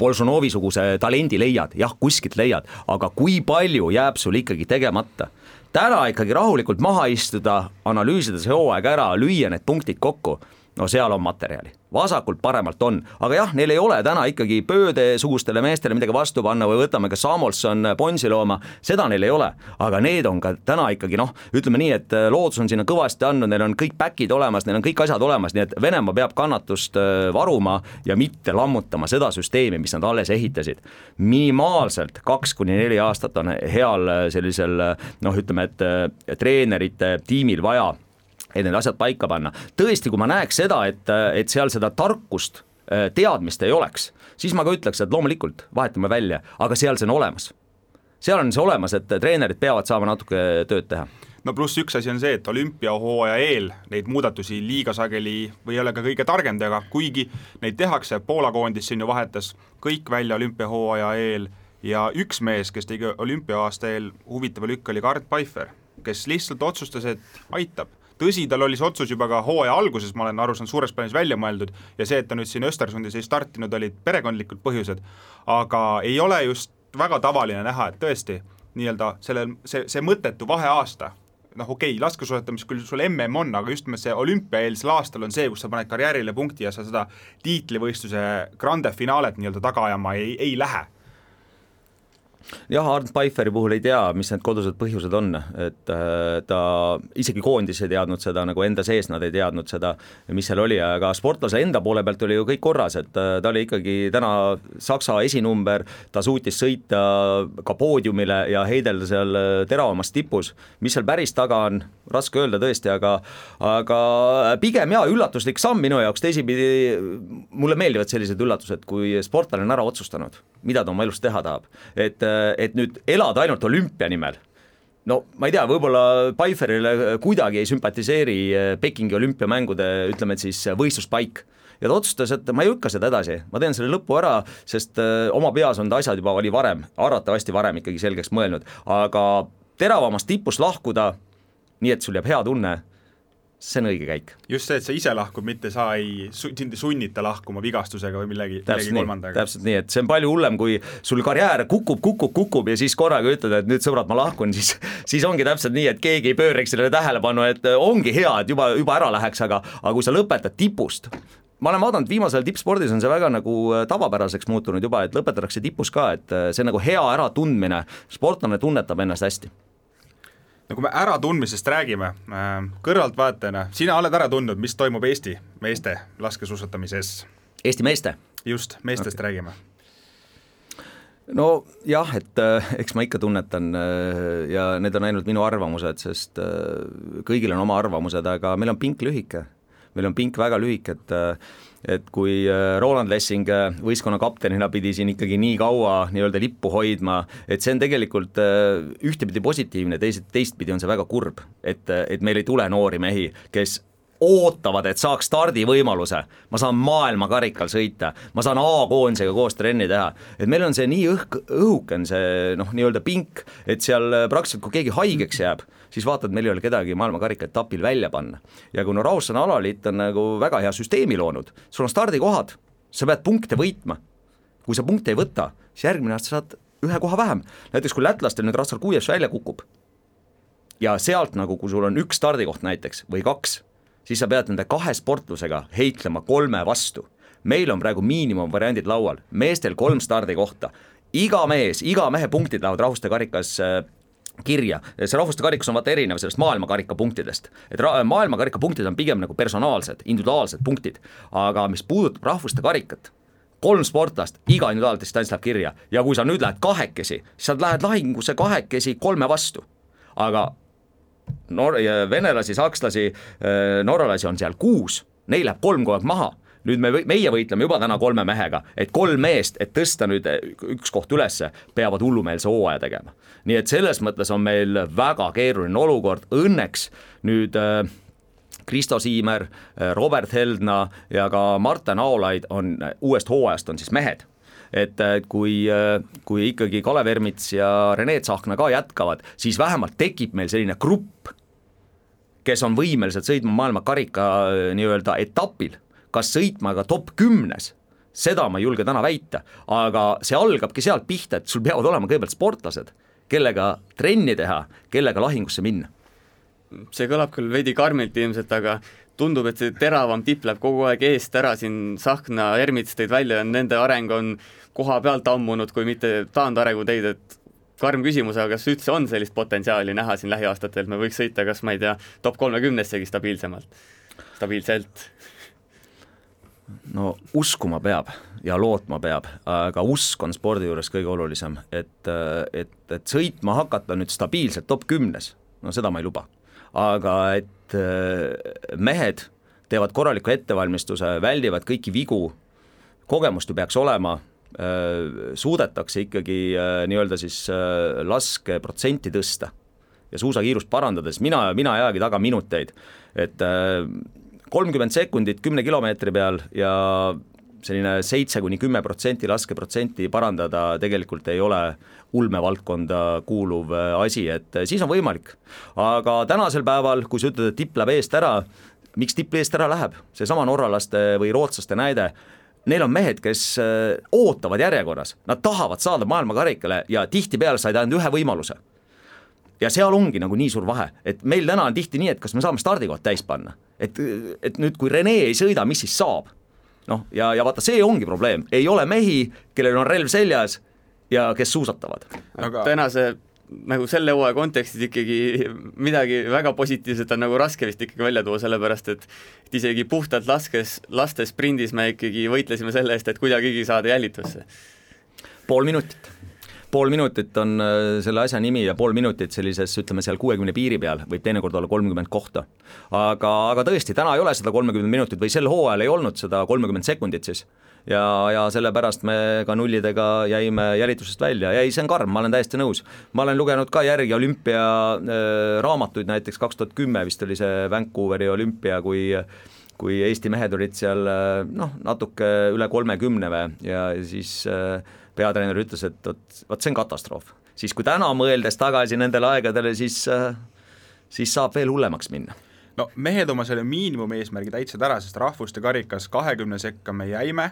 Bolšunovi-suguse talendi leiad, jah, kuskilt leiad, aga kui palju jääb sul ikkagi tegemata? Täna ikkagi rahulikult maha istuda, analüüsida see hooaeg ära, lüüa need punktid kokku, no seal on materjali. Vasakult paremalt on, aga jah, neil ei ole täna ikkagi pööde-sugustele meestele midagi vastu panna või võtame ka Samuelson, Ponsilooma, seda neil ei ole, aga need on ka täna ikkagi noh, ütleme nii, et loodus on sinna kõvasti andnud, neil on kõik päkid olemas, neil on kõik asjad olemas, nii et Venemaa peab kannatust varuma ja mitte lammutama seda süsteemi, mis nad alles ehitasid. Minimaalselt kaks kuni neli aastat on heal sellisel noh, ütleme, et treenerite tiimil vaja et need asjad paika panna. Tõesti, kui ma näeks seda, et, et seal seda tarkust, teadmist ei oleks, siis ma ka ütleks, et loomulikult vahetame välja, aga seal see on olemas. Seal on see olemas, et treenerid peavad saama natuke tööd teha. No pluss üks asi on see, et olümpiahooaja eel neid muudatusi liiga sageli või ei ole ka kõige targem teha, kuigi neid tehakse, Poola koondis siin ju vahetas kõik välja olümpiahooaja eel ja üks mees, kes tegi olümpiaaasta eel huvitava lükk, oli Gard Pfeiffer, kes lihtsalt otsustas, et aitab. Tõsi, tal oli see otsus juba ka hooaja alguses, ma olen aru saanud suures plaanis välja mõeldud ja see, et ta nüüd siin Östersundis ei startinud, olid perekondlikud põhjused, aga ei ole just väga tavaline näha, et tõesti nii-öelda selle, see, see mõttetu vaheaasta, noh okei, okay, laskesuusatamis küll sul M M on, aga just see olümpiaeelsel aastal on see, kus sa paned karjäärile punkti ja sa seda tiitlivõistluse grande finaalet nii-öelda taga ajama ei, ei lähe. Jah, Arnd Pfeifferi puhul ei tea, mis need kodused põhjused on, et ta isegi koondis ei teadnud seda, nagu enda sees nad ei teadnud seda, mis seal oli, aga sportlase enda poole pealt oli ju kõik korras, et ta oli ikkagi täna Saksa esinumber, ta suutis sõita ka poodiumile ja heidelda seal teravamast tipus, mis seal päris taga on, raske öelda tõesti, aga, aga pigem jaa, üllatuslik samm minu jaoks, teisipidi mulle meeldivad sellised üllatused, kui sportlane on ära otsustanud, mida ta oma elus teha tahab, et et nüüd elada ainult olümpia nimel. No ma ei tea, võib-olla Pfeifferile kuidagi ei sümpatiseeri Pekingi olümpiamängude, ütleme, et siis võistluspaik. Ja ta otsustas, et ma ei lükka seda edasi, ma teen selle lõpu ära, sest oma peas on ta asjad juba oli varem, arvatavasti varem ikkagi selgeks mõelnud, aga teravamast tipust lahkuda, nii et sul jääb hea tunne, see on õige käik. Just see, et sa ise lahkud, mitte sa ei sunnita lahkuma vigastusega või millegi, millegi kolmandaga. Täpselt nii, et see on palju hullem, kui sul karjäär kukub, kukub, kukub ja siis korraga ütled, et nüüd sõbrad, ma lahkun, siis, siis ongi täpselt nii, et keegi ei pööraks sellele tähelepanu, et ongi hea, et juba, juba ära läheks, aga, aga kui sa lõpetad tipust, ma olen vaadanud, viimasel tippspordis on see väga nagu tavapäraseks muutunud juba, et lõpetatakse tipus ka, et see on nagu hea äratundmine, sportlane tunnetab ennast hästi. No kui me ära tundmisest räägime, kõrvaltvaatajana, sina oled ära tundnud, mis toimub Eesti meeste laskesuusatamises? Eesti meeste? Just, meestest okay. Räägime. no jah, et eks ma ikka tunnetan ja need on ainult minu arvamused, sest kõigil on oma arvamused, aga meil on pink lühike, meil on pink väga lühike, et et kui Roland Lessing võistkonna kaptenina pidi siin ikkagi nii kaua nii-öelda lippu hoidma, et see on tegelikult ühtepidi positiivne, teist, teistpidi on see väga kurb, et, et meil ei tule noori mehi, kes ootavad, et saaks stardivõimaluse, ma saan maailmakarikal sõita, ma saan A-koondisega koos trenni teha, et meil on see nii õhk, õhuken see noh, nii-öelda pink, et seal praktiliselt kui keegi haigeks jääb, siis vaatad, meil ei ole kedagi maailmakarika etapil välja panna. Ja kui no Raussan alaliit on nagu väga hea süsteemi loonud, sul on stardikohad, sa pead punkte võitma. Kui sa punkte ei võta, siis järgmine aasta saad ühe koha vähem. Näiteks kui lätlastel nüüd Rassar Kuievs välja kukub ja sealt nagu, kui sul on üks stardikoht näiteks või kaks, siis sa pead nende kahe sportlusega heitlema kolme vastu. Meil on praegu miinimumvariandid laual, meestel kolm stardikohta. Iga mees, iga mehe punktid lähevad rahvuste karikas kirja. See rahvuste karikus on vaata erinev sellest maailmakarika punktidest. Et ra- maailmakarika punktid on pigem nagu personaalsed, individuaalsed punktid. Aga mis puudutab rahvuste karikat, kolm sportlast, iga individuaalne distants läheb kirja. Ja kui sa nüüd lähed kahekesi, siis sa lähed lahingusse kahekesi kolme vastu. Aga Nor- venelasi, sakslasi, norralasi on seal kuus, neil läheb kolm kogu aeg maha. Nüüd me, meie võitleme juba täna kolme mehega, et kolm meest, et tõsta nüüd üks koht ülesse, peavad hullumeelse hooaja tegema. Nii et selles mõttes on meil väga keeruline olukord. Õnneks nüüd äh, Kristo Siimer, Robert Heldna ja ka Marten Aolaid on uuest hooajast on siis mehed. Et kui, kui ikkagi Kalev Ermits ja Rene Tsahkna ka jätkavad, siis vähemalt tekib meil selline grupp, kes on võimelised sõitma maailma karika nii-öelda etapil, kas sõitma ka top kümnes, seda ma ei julge täna väita, aga see algabki sealt pihta, et sul peavad olema kõigepealt sportlased, kellega trenni teha, kellega lahingusse minna. See kõlab küll veidi karmilt ilmselt, aga tundub, et see teravam tipp läheb kogu aeg eest ära, siin Tsahkna, Ermits tõid välja, nende areng on koha pealt ammunud, kui mitte taandarengu teid, et karm küsimus, aga kas üldse on sellist potentsiaali näha siin lähiaastatel, me võiks sõita, kas ma ei tea, top kolmekümnessegi stabiilsemalt, stabiilselt? No uskuma peab ja lootma peab, aga usk on spordi juures kõige olulisem, et, et, et sõitma hakata nüüd stabiilselt top kümnes, no seda ma ei luba. Aga et mehed teevad korraliku ettevalmistuse, väldivad kõiki vigu, kogemust ju peaks olema, suudetakse ikkagi nii-öelda siis laske protsenti tõsta ja suusakiirust parandades, mina, mina jäägi taga minuteid, et kolmkümmend sekundit kümne kilomeetri peal ja selline seitse kuni kümme protsenti laskeprotsenti parandada tegelikult ei ole ulmevaldkonda kuuluv asi, et siis on võimalik. Aga tänasel päeval, kui sa ütled, et tipp läheb eest ära, miks tipp eest ära läheb? See sama norralaste või rootslaste näide, neil on mehed, kes ootavad järjekorras, nad tahavad saada maailmakarikale ja tihtipeale said ainult ühe võimaluse. Ja seal ongi nagu nii suur vahe, et meil täna on tihti nii, et kas me saame stardikoht täis panna, et, et nüüd kui Rene ei sõida, mis siis saab? No, ja, ja vaata, see ongi probleem, ei ole mehi, kellel on relv seljas ja kes suusatavad. Aga tänase nagu selle hooaja kontekstis ikkagi midagi väga positiivset on nagu raske vist ikkagi välja tuua, sellepärast et, et isegi puhtalt laskes, laste sprindis me ikkagi võitlesime selle eest, et kuidagigi saada jälitusse. Pool minutit. Pool minutit on selle asja nimi ja pool minutit sellises, ütleme seal kuuekümne piiri peal, võib teinekord olla kolmkümmend kohta. Aga, aga tõesti, täna ei ole seda kolmkümmend minutit või sel hooajal ei olnud seda kolmkümmend sekundit siis. Ja, ja sellepärast me ka nullidega jäime jälitusest välja ja ei, see on karm, ma olen täiesti nõus. Ma olen lugenud ka järgi olümpia äh, raamatuid, näiteks kaks tuhat kümme vist oli see Vancouveri olümpia, kui kui Eesti mehed olid seal noh, natuke üle kolmekümne ja siis äh, peatreener ütles, et võt, võt see on katastroof. Siis kui täna mõeldes tagasi nendele aegadele, siis, äh, siis saab veel hullemaks minna. No mehed oma selle miinimumeesmärgi täitsid ära, sest rahvuste karikas kahekümne sekka me jäime,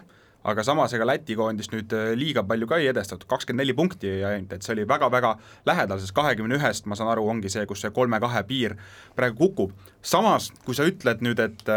aga samas ega Läti koondist nüüd liiga palju ka ei edestatud, kakskümmend neli punkti ei ainult, et see oli väga-väga lähedal, sest kahekümne ühest, ma saan aru, ongi see, kus see kolme kahe piir praegu kukub. Samas, kui sa ütled nüüd, et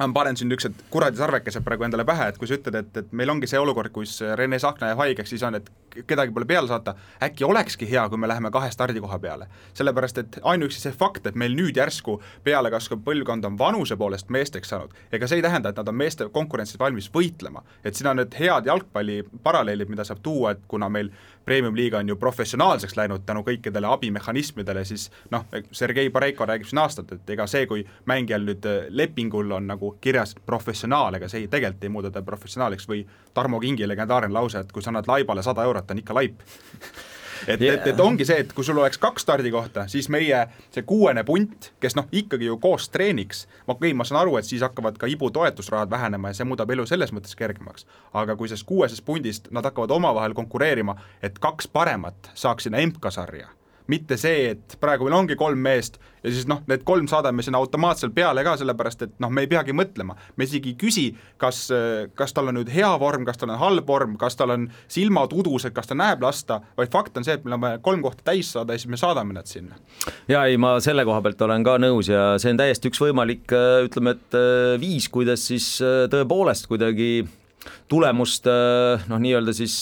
ma panen siin üks kuradi sarvekesed praegu endale pähe, et kui sa ütled, et, et meil ongi see olukord, kus Rene Sahkna jääb haigeks, siis on, et kedagi pole peale saata, äkki olekski hea, kui me läheme kahe stardikoha peale. Sellepärast, et ainuüksi see fakt, et meil nüüd järsku peale kasvav põlvkond on vanuse poolest meesteks saanud, ega see ei tähenda, et nad on meeste konkurentsis valmis võitlema. Et siin on need head jalgpalli paralleelid, mida saab tuua, et kuna meil Premium-liiga on ju professionaalseks läinud tänu kõikidele abimehhanismidele, siis noh, Sergei Pareiko räägib siin aastat, et ega see, kui mängijal nüüd lepingul on nagu kirjas professionaal, ega see tegelikult ei muuda ta professionaaliks või Tarmo Kingi legendaarne lause, et kui sa annad laibale sada eurot, on ikka laip. et, yeah. et, et ongi see, et kui sul oleks kaks stardikohta, siis meie see kuuene punt, kes noh, ikkagi ju koos treeniks, ma, okay, ma saan aru, et siis hakkavad ka ibu toetusrahad vähenema ja see muudab elu selles mõttes kergemaks. Aga kui sellest kuuesest pundist nad hakkavad omavahel konkureerima, et kaks paremat saaks sinna M K-sarja, mitte see, et praegu meil ongi kolm meest ja siis noh, need kolm saadame sinna automaatselt peale ka, sellepärast et noh, me ei peagi mõtlema. Me isegi küsi, kas, kas tal on nüüd hea vorm, kas tal on halb vorm, kas tal on silmad udused, kas ta näeb lasta, vaid fakt on see, et meil on kolm kohta täis saada ja siis me saadame nad sinna. Ja ei, ma selle koha pealt olen ka nõus ja see on täiesti üks võimalik, ütleme, et viis, kuidas siis tõepoolest kuidagi tulemust, noh nii-öelda siis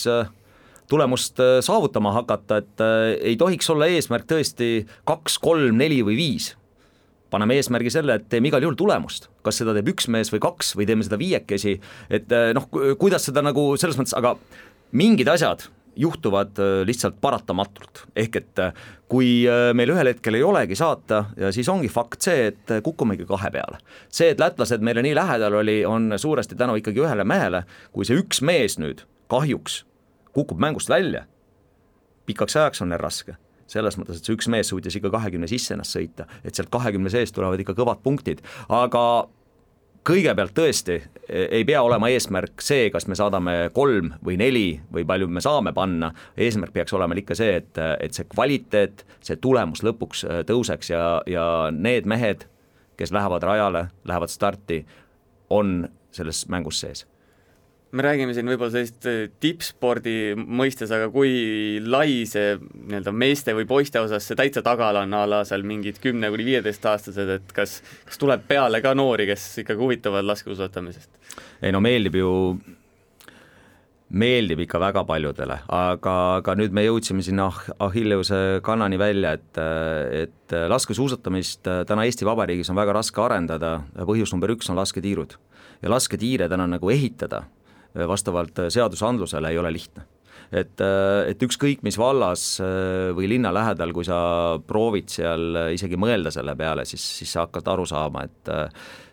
tulemust saavutama hakata, et ei tohiks olla eesmärk tõesti kaks, kolm, neli või viis. Paneme eesmärgi selle, et teeme igal juhul tulemust. Kas seda teeb üks mees või kaks või teeme seda viiekesi, et noh, kuidas seda nagu selles mõttes, aga mingid asjad juhtuvad lihtsalt paratamatult. Ehk et kui meil ühel hetkel ei olegi saata, ja siis ongi fakt see, et kukkumegi kahe peale. See, et lätlased meile nii lähedal oli, on suuresti tänu ikkagi ühele mehele, kui see üks mees nüüd kahjuks kukub mängust välja, pikaks ajaks on neil raske. Selles mõttes, et see üks mees suutis ikka kahekümne sisse ennast sõita, et sealt kahekümne sees tulevad ikka kõvad punktid, aga kõigepealt tõesti ei pea olema eesmärk see, kas me saadame kolm või neli või palju me saame panna, eesmärk peaks olema ikka see, et, et see kvaliteet, see tulemus lõpuks tõuseks ja, ja need mehed, kes lähevad rajale, lähevad starti, on selles mängus sees. Me räägime siin võib-olla sellist tippspordi mõistes, aga kui lai see nii-öelda meeste või poiste osas see täitsa tagala on ala seal mingid kümne kuni viieteist aastased, et kas, kas tuleb peale ka noori, kes ikkagi huvitavad laskesuusatamisest? Ei no meeldib ju, meeldib ikka väga paljudele, aga, aga nüüd me jõudsime sinna Achilleuse kannani välja, et, et laskesuusatamist täna Eesti Vabariigis on väga raske arendada, põhjus number üks on lasketiirud ja lasketiire täna nagu ehitada vastavalt seadusandlusele ei ole lihtne. Et, et ükskõik mis vallas või linna lähedal, kui sa proovid seal isegi mõelda selle peale, siis, siis sa hakkad aru saama, et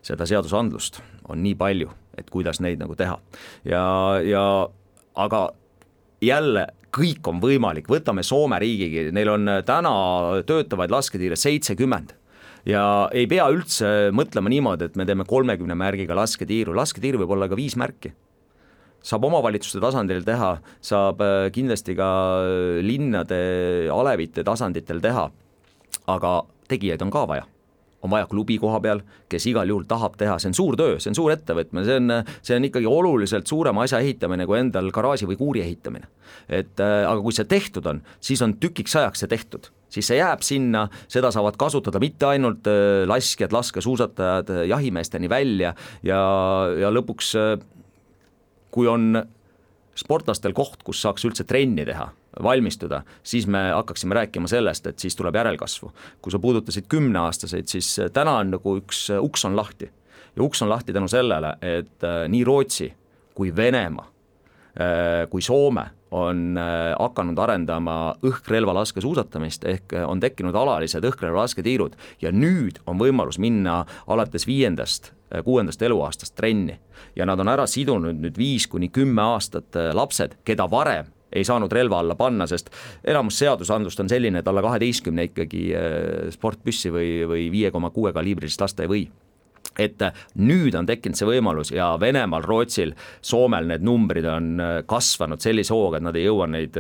seda seadusandlust on nii palju, et kuidas neid nagu teha. Ja, ja aga jälle kõik on võimalik, võtame Soome riigigi, neil on täna töötavaid lasketiire seitsekümmend. Ja ei pea üldse mõtlema niimoodi, et me teeme kolmekümne märgiga lasketiiru, lasketiir võib olla ka viis märki. Saab omavalitsuste tasandil teha, saab kindlasti ka linnade alevite tasanditel teha, aga tegijaid on ka vaja. On vaja klubi koha peal, kes igal juhul tahab teha, see on suur töö, see on suur ettevõtmine, see on, see on ikkagi oluliselt suurema asja ehitamine kui endal garaaži või kuuri ehitamine. Et, aga kui see tehtud on, siis on tükiks ajaks see tehtud. Siis see jääb sinna, seda saavad kasutada mitte ainult laskjad, laskesuusatajad, jahimeesteni välja ja, ja lõpuks kui on sportlastel koht, kus saaks üldse trenni teha, valmistuda, siis me hakkaksime rääkima sellest, et siis tuleb järelkasvu. Kui sa puudutasid kümneaastaseid, siis täna on nagu üks uks on lahti. Ja uks on lahti tänu sellele, et nii Rootsi kui Venemaa, kui Soome on hakanud arendama õhkrelva laskesuusatamist ehk on tekkinud alalised õhkrelva lasketiirud ja nüüd on võimalus minna alates viiendast, kuuendast eluaastast trenni ja nad on ära sidunud nüüd viis kuni kümme aastat lapsed, keda varem ei saanud relva alla panna, sest enamus seadusandlust on selline, et alla kaheteistkümne ikkagi sportpüssi või, või viie koma kuue kaliibrilist lasta ei või. Et nüüd on tekkinud see võimalus ja Venemaal, Rootsil, Soomel need numbrid on kasvanud sellise hooga, et nad ei jõua neid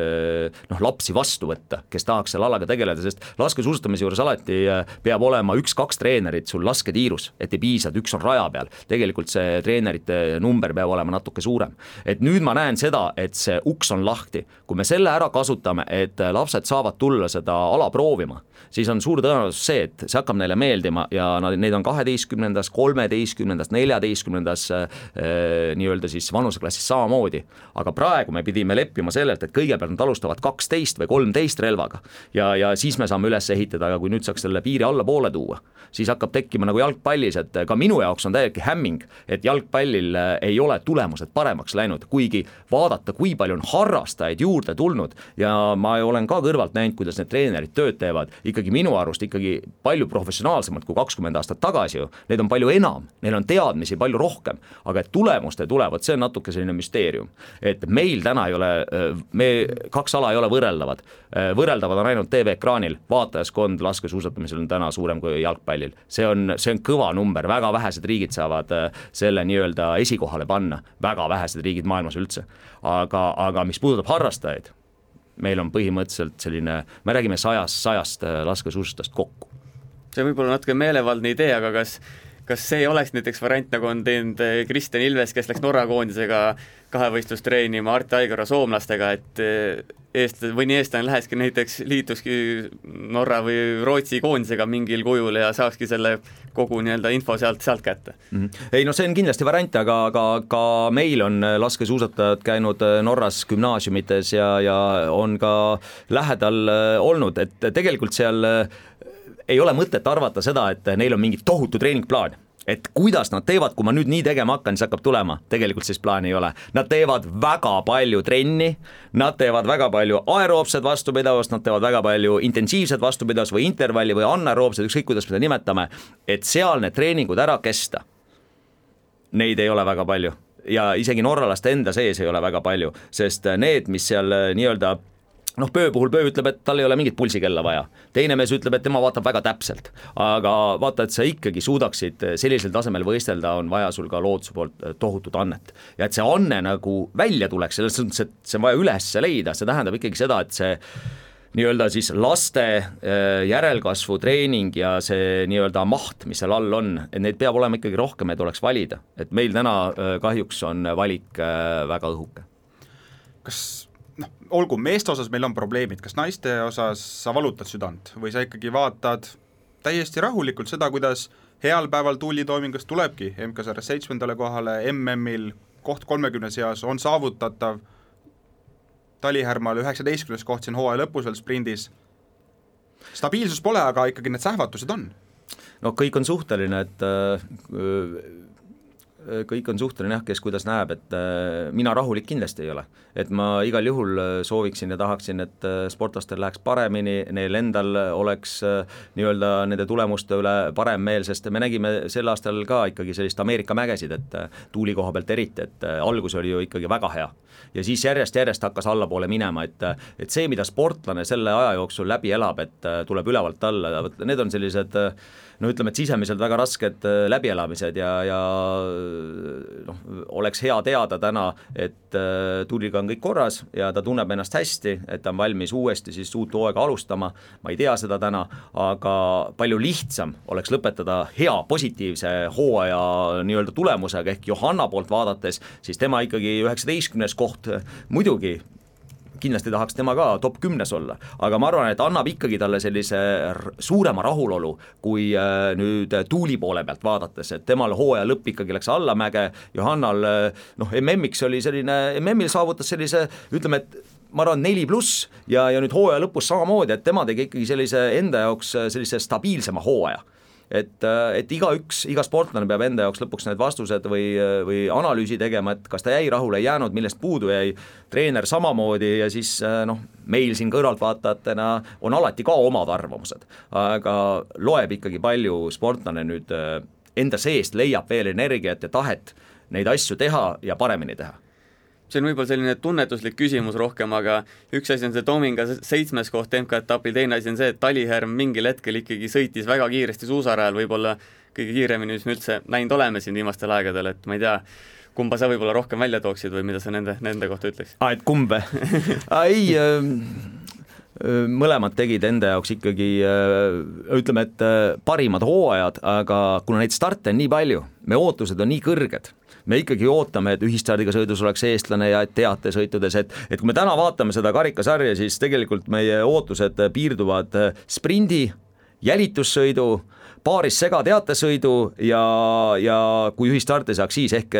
noh, lapsi vastu võtta, kes tahaks seal alaga tegeleda, sest laskesuusatamise juures alati peab olema üks-kaks treenerit sul lasketiirus, et ei piisa, et üks on raja peal. Tegelikult see treenerite number peab olema natuke suurem. Et nüüd ma näen seda, et see uks on lahti. Kui me selle ära kasutame, et lapsed saavad tulla seda ala proovima, siis on suur tõenäosus see, et see hakkab neile meeldima ja neid on kaheteistkümnendas, kolmeteistkümnendas, neljateistkümnendas nii-öelda siis vanuseklassis samamoodi. Aga praegu me pidime leppima sellelt, et kõigepealt nad alustavad kaksteist või kolmteist relvaga ja, ja siis me saame üles ehitada, aga kui nüüd saaks selle piiri alla poole tuua, siis hakkab tekkima nagu jalgpallis, et ka minu jaoks on täielikult hämming, et jalgpallil ei ole tulemused paremaks läinud, kuigi vaadata, kui palju on harrastajaid juurde tulnud ja ma olen ka kõrvalt näinud, kuidas need treenerid tööd teevad, ikkagi minu arust ikkagi palju professionaalsemalt kui kakskümmend aastat tagasi ju, need on palju enam, neil on teadmisi palju rohkem, aga et tulemuste tulevad, see on natuke selline müsteerium, et meil täna ei ole, me kaks ala ei ole võrreldavad, võrreldavad on ainult T V-ekraanil, vaatajaskond laskesuusatamisel on täna suurem kui jalgpallil, see on, see on kõva number, väga vähesed riigid saavad selle nii-öelda esikohale panna, väga vähesed riigid maailmas üldse, aga, aga mis puudutab harrastajaid, meil on põhimõtteliselt selline, me räägime sajast, sajast laskesuusatust kokku. See võib olla natuke meelevaldne idee, aga kas, kas see ei oleks näiteks variant, nagu on teinud Kristjan Ilves, kes läks Norra koondisega kahevõistlust treenima Arti Aigara soomlastega, et eest, või nii eestlane läheski näiteks liituski Norra või Rootsi koondisega mingil kujul ja saakski selle kogu nii-öelda info sealt, sealt kätte. Mm-hmm. Ei no see on kindlasti variant, aga, aga ka meil on laskesuusatajad käinud Norras gümnaasiumites ja, ja on ka lähedal olnud, et tegelikult seal ei ole mõtet arvata seda, et neil on mingi tohutu treeningplaan. Et kuidas nad teevad, kui ma nüüd nii tegema hakkan, siis hakkab tulema, tegelikult siis plaani ei ole. Nad teevad väga palju trenni, nad teevad väga palju aeroobsed vastupidavust, nad teevad väga palju intensiivset vastupidavust või intervalli või anaeroobsed, ükskõik kuidas me seda nimetame, et seal need treeningud ära kesta. Neid ei ole väga palju ja isegi norralaste enda sees ei ole väga palju, sest need, mis seal nii-öelda noh, Pöö puhul Pöö ütleb, et tal ei ole mingit pulsikella vaja. Teine mees ütleb, et tema vaatab väga täpselt. Aga vaata, et sa ikkagi suudaksid sellisel tasemel võistelda, on vaja sul ka looduse poolt tohutut annet. Ja et see anne nagu välja tuleks, selles mõttes, et see on vaja üles leida, see tähendab ikkagi seda, et see nii-öelda siis laste järelkasvu treening ja see nii-öelda maht, mis seal all on, et neid peab olema ikkagi rohkem, et oleks valida. Et meil täna kahjuks on valik väga õhuke. Kas noh, olgu, meeste osas meil on probleemid, kas naiste osas sa valutad südant või sa ikkagi vaatad täiesti rahulikult seda, kuidas heal päeval tuulitoomingus tulebki M K-sarjas seitsmendale kohale, M M-il koht kolmekümne seas on saavutatav, Talihärmal üheksateistkümnes koht siin hooaja lõpus veel sprindis. Stabiilsus pole, aga ikkagi need sähvatused on. No kõik on suhteline, et äh, kõik on suhteline jah, kes kuidas näeb, et mina rahulik kindlasti ei ole. Et ma igal juhul sooviksin ja tahaksin, et sportlastel läheks paremini, neil endal oleks nii-öelda nende tulemuste üle parem meel, sest me nägime sel aastal ka ikkagi sellist Ameerika mägesid, et tuuli koha pealt eriti, et algus oli ju ikkagi väga hea. Ja siis järjest-järjest hakkas allapoole minema, et, et see, mida sportlane selle aja jooksul läbi elab, et tuleb ülevalt alla, need on sellised no ütleme, et sisemiselt väga rasked läbielamised ja, ja noh, oleks hea teada täna, et tuuliga on kõik korras ja ta tunneb ennast hästi, et ta on valmis uuesti siis uut hooaega alustama, ma ei tea seda täna, aga palju lihtsam oleks lõpetada hea positiivse hooaja nii-öelda tulemusega, ehk Johanna poolt vaadates, siis tema ikkagi üheksateistkümnes koht muidugi kindlasti tahaks tema ka top kümnes olla, aga ma arvan, et annab ikkagi talle sellise suurema rahulolu, kui nüüd tuuli poole pealt vaadates, et temal hooaja lõpp ikkagi läks allamäge, Johannal noh, M M-iks oli selline, M M-il saavutas sellise, ütleme, et ma arvan neli pluss ja, ja nüüd hooaja lõpus samamoodi, et tema tegi ikkagi sellise enda jaoks sellise stabiilsema hooaja. Et, et iga üks, iga sportlane peab enda jaoks lõpuks need vastused või, või analüüsi tegema, et kas ta jäi rahule, ei jäänud, millest puudu jäi, treener samamoodi ja siis noh, meil siin kõrvaltvaatajatena on alati ka omad arvamused, aga loeb ikkagi palju sportlane nüüd enda seest leiab veel energiat ja tahet neid asju teha ja paremini teha. See on võib-olla selline tunnetuslik küsimus rohkem, aga üks asi on see Tominga seitsmes koht M K-etapil, teine asi on see, et Talihärm mingil hetkel ikkagi sõitis väga kiiresti suusarajal, võib-olla kõige kiiremini, mis me üldse näinud oleme siin viimastel aegadel, et ma ei tea, kumba sa võib-olla rohkem välja tooksid või mida sa nende, nende kohta ütleks? Ah, et kumbe? ei, mõlemad tegid enda jaoks ikkagi, ütleme, et parimad hooajad, aga kuna neid starte on nii palju, me ootused on nii kõrged, me ikkagi ootame, et ühistardiga sõidus oleks eestlane ja et teatesõitudes, et, et kui me täna vaatame seda karikasarja, siis tegelikult meie ootused piirduvad sprindi, jälitussõidu, paaris segateatesõidu ja, ja kui ühistarti saaks siis ehk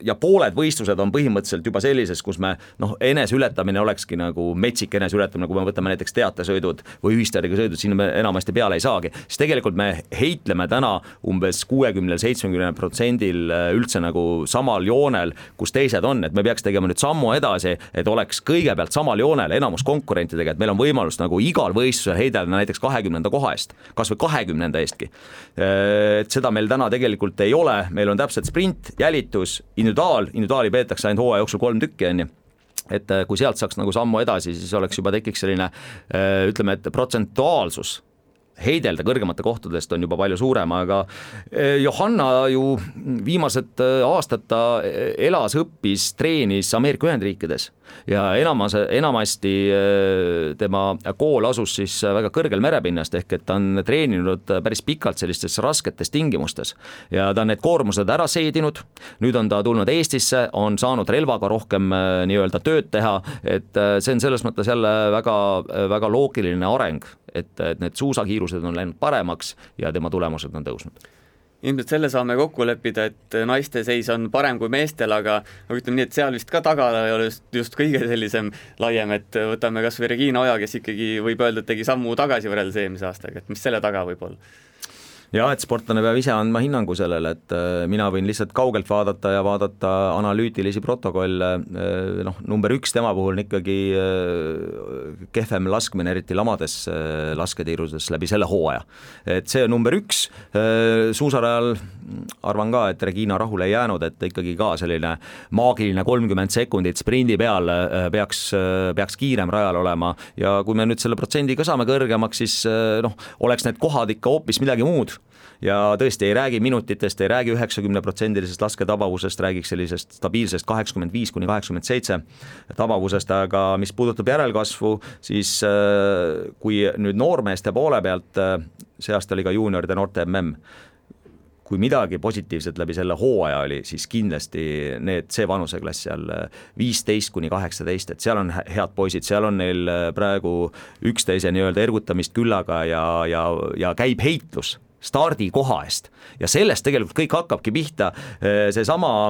ja pooled võistlused on põhimõtteliselt juba sellises, kus me noh, eneseületamine olekski nagu metsik eneseületamine, kui me võtame näiteks teatesõidud või ühistardiga sõidud, siin me enamasti peale ei saagi, siis tegelikult me heitleme täna umbes kuuekümne seitsmekümne protsendil üldse nagu samal joonel, kus teised on, et me peaks tegema nüüd sammu edasi, et oleks kõigepealt samal joonel enamus konkurentidega, et meil on võimalus nagu igal võistlusel heidelda näiteks kahekümnenda koha eest, kas või kahekümnenda eestki. Et seda meil täna tegelikult ei ole, meil on täpselt sprint, jälitus, individuaal, individuaali peetakse ainult hooaja jooksul kolm tükki, on ju. Et kui sealt saaks nagu sammu edasi, siis oleks juba tekiks selline, ütleme, et protsentuaalsus heidelda kõrgemate kohtadest on juba palju suurem, aga Johanna ju viimased aastad ta elas, õppis, treenis Ameerika Ühendriikides ja enamas, enamasti tema kool asus siis väga kõrgel merepinnast, ehk et ta on treeninud päris pikalt sellistes rasketes tingimustes ja ta on need koormused ära seedinud, nüüd on ta tulnud Eestisse, on saanud relvaga rohkem nii-öelda tööd teha, et see on selles mõttes jälle väga, väga loogiline areng, et, et need suusakiirused on läinud paremaks ja tema tulemused on tõusnud. Ilmselt selle saame kokku leppida, et naiste seis on parem kui meestel, aga ütleme nii, et seal vist ka taga ei ole just, just kõige sellisem laiem, et võtame kas või Regina Oja, kes ikkagi võib öelda, et tegi sammu tagasi võrreldes eelmise aastaga, et mis selle taga võib olla? Ja, et sportlane peab ise andma hinnangu sellele, et mina võin lihtsalt kaugelt vaadata ja vaadata analüütilisi protokolle, noh, number üks tema puhul on ikkagi kehvem laskmine, eriti lamades lasketiiruses läbi selle hooaja. Et see on number üks, suusarajal arvan ka, et Regina rahule ei jäänud, et ikkagi ka selline maagiline kolmkümmend sekundit sprindi peal peaks, peaks kiirem rajal olema ja kui me nüüd selle protsendi ka saame kõrgemaks, siis noh, oleks need kohad ikka hoopis midagi muud. Ja tõesti ei räägi minutitest, ei räägi üheksakümne protsendilisest lasketabavusest, räägiks sellisest stabiilsest kaheksakümmend viis kuni kaheksakümmend seitse tabavusest, aga mis puudutab järelkasvu, siis kui nüüd noormeeste poole pealt, see aasta oli ka juunioride noorte M M, kui midagi positiivset läbi selle hooaja oli, siis kindlasti need, see vanuseklass seal viisteist kuni kaheksateist, et seal on head poisid, seal on neil praegu üksteise nii-öelda ergutamist küllaga ja, ja, ja käib heitlus stardi koha eest ja sellest tegelikult kõik hakkabki pihta. See sama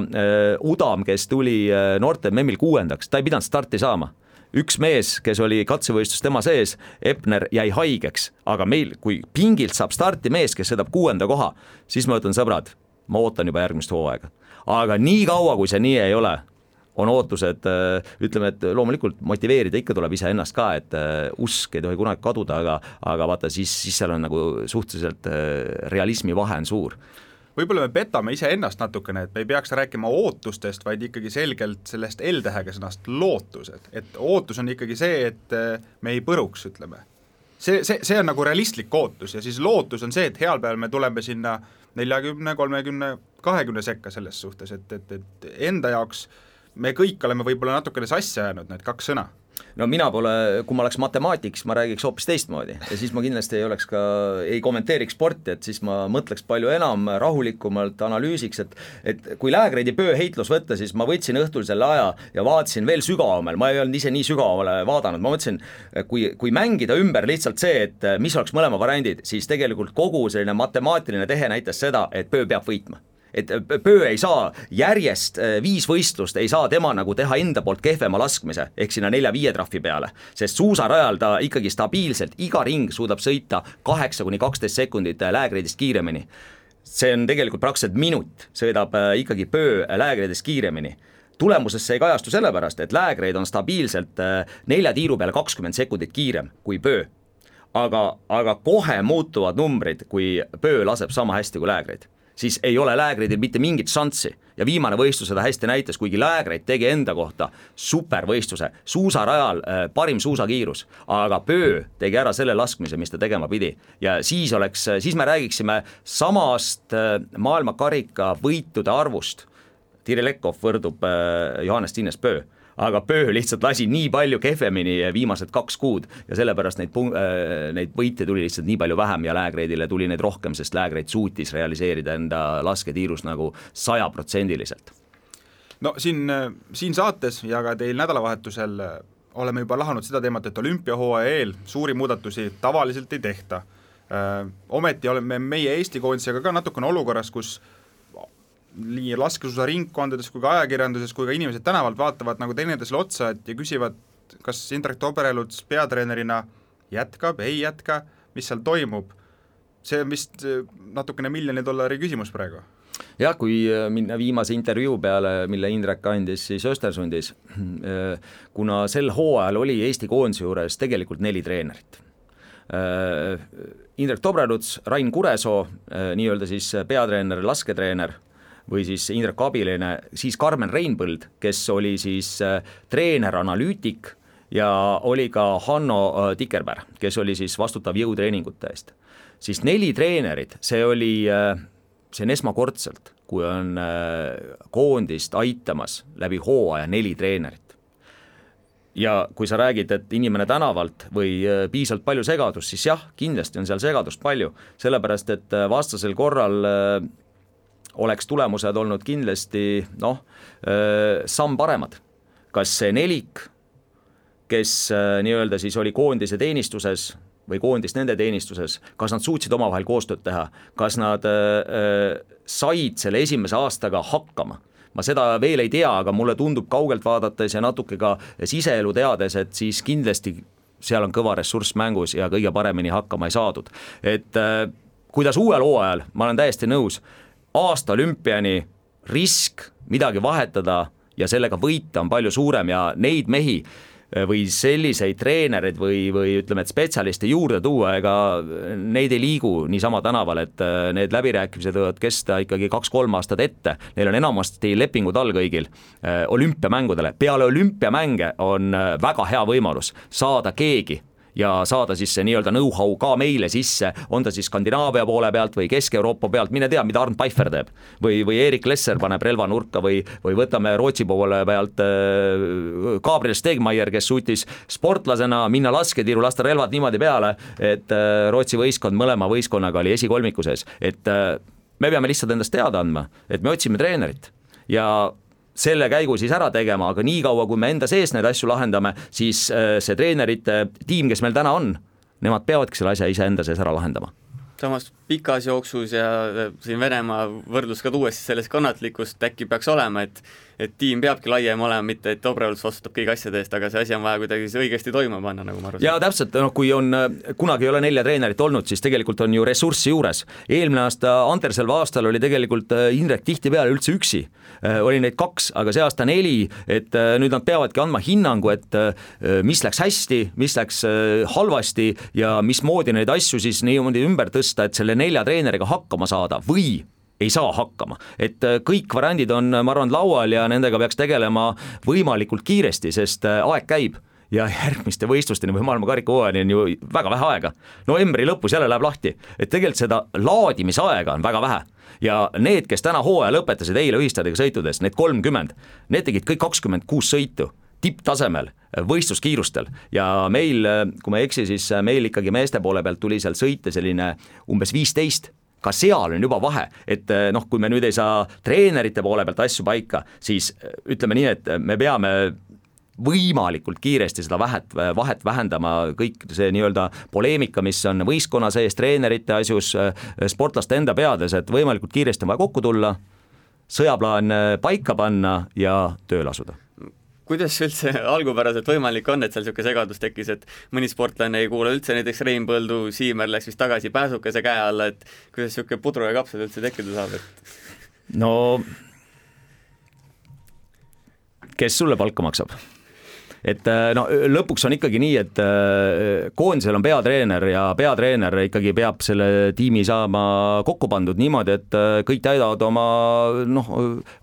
Udam, kes tuli noorte M M-il kuuendaks, ta ei pidanud starti saama. Üks mees, kes oli katsevõistlus tema sees, Epner, jäi haigeks, aga meil, kui pingilt saab starti mees, kes sõidab kuuenda koha, siis ma ütlen, sõbrad, ma ootan juba järgmist hooaega. Aga nii kaua, kui see nii ei ole, on ootused, ütleme, et loomulikult motiveerida ikka tuleb ise ennast ka, et usk ei tohi kunagi kaduda, aga, aga vaata, siis, siis seal on nagu suhteliselt realismi vahe on suur. Võib-olla me petame ise ennast natukene, et me ei peaks rääkima ootustest, vaid ikkagi selgelt sellest L-tähega sõnast lootused. Et ootus on ikkagi see, et me ei põruks, ütleme. See, see, see on nagu realistlik ootus ja siis lootus on see, et heal peal me tuleme sinna nelikümmend, kolmkümmend, kahekümne sekka selles suhtes, et, et, et enda jaoks me kõik oleme võib-olla natukene sassi ajanud need kaks sõna. No mina pole, kui ma oleks matemaatiks, ma räägiks hoopis teistmoodi ja siis ma kindlasti ei oleks ka, ei kommenteeriks sporti, et siis ma mõtleks palju enam rahulikumalt, analüüsiks, et, et kui Läägreidi pöö heitlus võtta, siis ma võtsin õhtul selle aja ja vaatasin veel sügavamale, ma ei olnud ise nii sügavamale vaadanud, ma mõtlesin, kui, kui mängida ümber lihtsalt see, et mis oleks mõlema variandid, siis tegelikult kogu selline matemaatiline tehe näitas seda, et pöö peab võitma. Et pöö ei saa järjest viis võistlust, ei saa tema nagu teha enda poolt kehvema laskmise, ehk sinna nelja-viie trahvi peale, sest suusarajal ta ikkagi stabiilselt iga ring suudab sõita kaheksa kuni kaksteist sekundit Läägreidist kiiremini. See on tegelikult praktiliselt minut, sõidab ikkagi pöö Läägreidist kiiremini. Tulemuses see ei kajastu sellepärast, et Läägreid on stabiilselt nelja tiiru peale kakskümmend sekundit kiirem kui pöö. Aga, aga kohe muutuvad numbrid, kui pöö laseb sama hästi kui Läägreid. Siis ei ole Läägreidil mitte mingit šanssi ja viimane võistlus seda hästi näitas, kuigi Läägreid tegi enda kohta supervõistluse, suusarajal parim suusakiirus, aga pöö tegi ära selle laskmise, mis ta tegema pidi ja siis oleks, siis me räägiksime samast maailmakarika võitude arvust. Tirilekov võrdub Johannes Tiines pöö, aga pöö lihtsalt lasi nii palju kehvemini viimased kaks kuud ja sellepärast neid, neid võite tuli lihtsalt nii palju vähem ja Läägreidile tuli neid rohkem, sest Läägreid suutis realiseerida enda lasketiirus nagu sajaprotsendiliselt. No siin, siin saates ja ka teil nädalavahetusel oleme juba lahanud seda teemat, et olümpiahooaja eel suuri muudatusi tavaliselt ei tehta. ometi oleme meie Eesti koondisega ka natukene olukorras, kus nii laskesuusaringkondades kui ka ajakirjanduses kui ka inimesed tänavalt vaatavad nagu teineteisele otsa et ja küsivad, kas Indrek Tobreluts peatreenerina jätkab, ei jätka, mis seal toimub. See on vist natukene miljoni dollari küsimus praegu. Jah, kui minna viimase intervjuu peale, mille Indrek andis siis Östersundis, kuna sel hooajal oli Eesti koondise juures tegelikult neli treenerit. Indrek Tobreluts, Rain Kuresoo, nii-öelda siis peatreener, lasketreener või siis Indrek abiline, siis Karmen Reinpõld, kes oli siis treener-analüütik ja oli ka Hanno Tikerberg, kes oli siis vastutav jõutreeningute eest. Siis neli treenerit, see oli, see on esmakordselt, kui on koondist aitamas läbi hooaja neli treenerit. Ja kui sa räägid, et inimene tänavalt või piisavalt palju segadust, siis jah, kindlasti on seal segadust palju, sellepärast et vastasel korral oleks tulemused olnud kindlasti noh, samm paremad. Kas see nelik, kes nii-öelda siis oli koondise teenistuses või koondis nende teenistuses, kas nad suutsid omavahel koostööd teha, kas nad said selle esimese aastaga hakkama? Ma seda veel ei tea, aga mulle tundub kaugelt vaadates ja natuke ka siseelu teades, et siis kindlasti seal on kõva ressurss mängus ja kõige paremini hakkama ei saadud. Et kuidas uuel hooajal, ma olen täiesti nõus, aasta olümpiani risk midagi vahetada ja sellega võita on palju suurem ja neid mehi või selliseid treenereid või, või ütleme, et spetsialiste juurde tuua, ega neid ei liigu niisama tänaval, et need läbirääkimised võivad kesta ikkagi kaks-kolm aastat ette. Neil on enamasti lepingud all kõigil olümpiamängudele. Peale olümpiamänge on väga hea võimalus saada keegi ja saada siis see nii-öelda know-how ka meile sisse, on ta siis Skandinaavia poole pealt või Kesk-Euroopa pealt, mine tea, mida Arnd Pfeiffer teeb. Või, või Erik Lesser paneb relva nurka või, või võtame Rootsi poole pealt äh, Gabriel Stegmaier, kes suutis sportlasena minna lasketiiru, lasta relvad niimoodi peale, et äh, Rootsi võistkond mõlema võistkonnaga oli esikolmikuses. Et äh, me peame lihtsalt endast teada andma, et me otsime treenerit ja selle käigu siis ära tegema, aga nii kaua, kui me enda sees neid asju lahendame, siis see treenerite tiim, kes meil täna on, nemad peavadki selle asja ise enda sees ära lahendama. Samas pikas jooksus ja siin Venemaa võrdlus ka tuues sellest kannatlikust äkki peaks olema, et, et tiim peabki laiem olema, mitte et Tobreluts vastutab kõigi asjade eest, aga see asi on vaja kuidagi õigesti toimuma panna, nagu ma aru saan. Ja täpselt, no, kui on, kunagi ei ole nelja treenerit olnud, siis tegelikult on ju ressurssi juures. Eelmine aasta Anterselva aastal oli tegelikult Indrek tihti peale üldse üksi. Oli neid kaks, aga see aasta neli, et nüüd nad peavadki andma hinnangu, et mis läks hästi, mis läks halvasti ja mismoodi neid asju siis niimoodi ümber tõsta, et selle nelja treeneriga hakkama saada või ei saa hakkama. Et kõik variandid on, ma arvan, laual ja nendega peaks tegelema võimalikult kiiresti, sest aeg käib ja järgmiste võistlusteni või maailma karikahooajani on ju väga vähe aega. Novembri lõpus jälle läheb lahti, et tegelikult seda laadimisaega on väga vähe. Ja need, kes täna hooaja lõpetasid eile ühistadega sõitudes, need kolmkümmend, need tegid kõik kakskümmend kuus sõitu tipptasemel, võistluskiirustel ja meil, kui ma ei eksi, siis meil ikkagi meeste poole pealt tuli seal sõite selline umbes viisteist, ka seal on juba vahe, et noh, kui me nüüd ei saa treenerite poole pealt asju paika, siis ütleme nii, et me peame võimalikult kiiresti seda vahet, vahet vähendama, kõik see nii-öelda poleemika, mis on võistkonna sees, treenerite asjus, sportlaste enda peades, et võimalikult kiiresti on vaja kokku tulla, sõjaplaan paika panna ja tööle asuda. Kuidas üldse algupäraselt võimalik on, et seal niisugune segadus tekkis, et mõni sportlane ei kuule üldse, näiteks Reinpõldu, Siimer läks vist tagasi pääsukese käe alla, et kuidas niisugune pudru ja kapsad üldse tekkida saab? Et... No, kes sulle palka maksab? Et no, lõpuks on ikkagi nii, et koondisel on peatreener ja peatreener ikkagi peab selle tiimi saama kokku pandud niimoodi, et kõik täidavad oma, noh,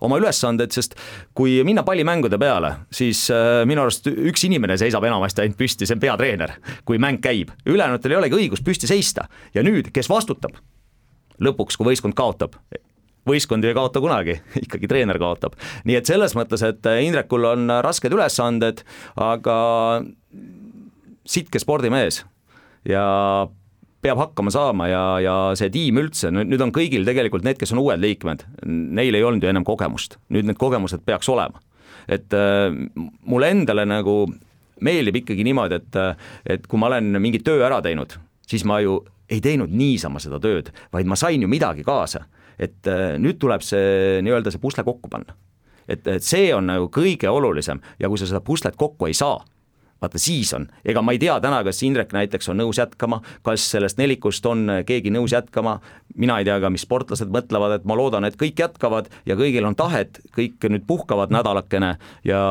oma ülesanded, sest kui minna pallimängude peale, siis minu arust üks inimene seisab enamasti ainult püsti, see on peatreener, kui mäng käib. Ülejäänutel ei olegi õigus püsti seista ja nüüd, kes vastutab lõpuks, kui võistkond kaotab? Võistkond ei kaota kunagi, ikkagi treener kaotab. Nii et selles mõttes, et Indrekul on rasked ülesanded, aga sitke spordimees ja peab hakkama saama ja, ja see tiim üldse, nüüd on kõigil tegelikult need, kes on uued liikmed, neil ei olnud ju ennem kogemust, nüüd need kogemused peaks olema. Et äh, mulle endale nagu meeldib ikkagi niimoodi, et, et kui ma olen mingi töö ära teinud, siis ma ju ei teinud niisama seda tööd, vaid ma sain ju midagi kaasa, et nüüd tuleb see nii-öelda see pusle kokku panna. Et, et see on nagu kõige olulisem ja kui sa seda puslet kokku ei saa, vaata siis on, ega ma ei tea täna, kas Indrek näiteks on nõus jätkama, kas sellest nelikust on keegi nõus jätkama, mina ei tea ka, mis sportlased mõtlevad, et ma loodan, et kõik jätkavad ja kõigil on tahet, kõik nüüd puhkavad nädalakene ja,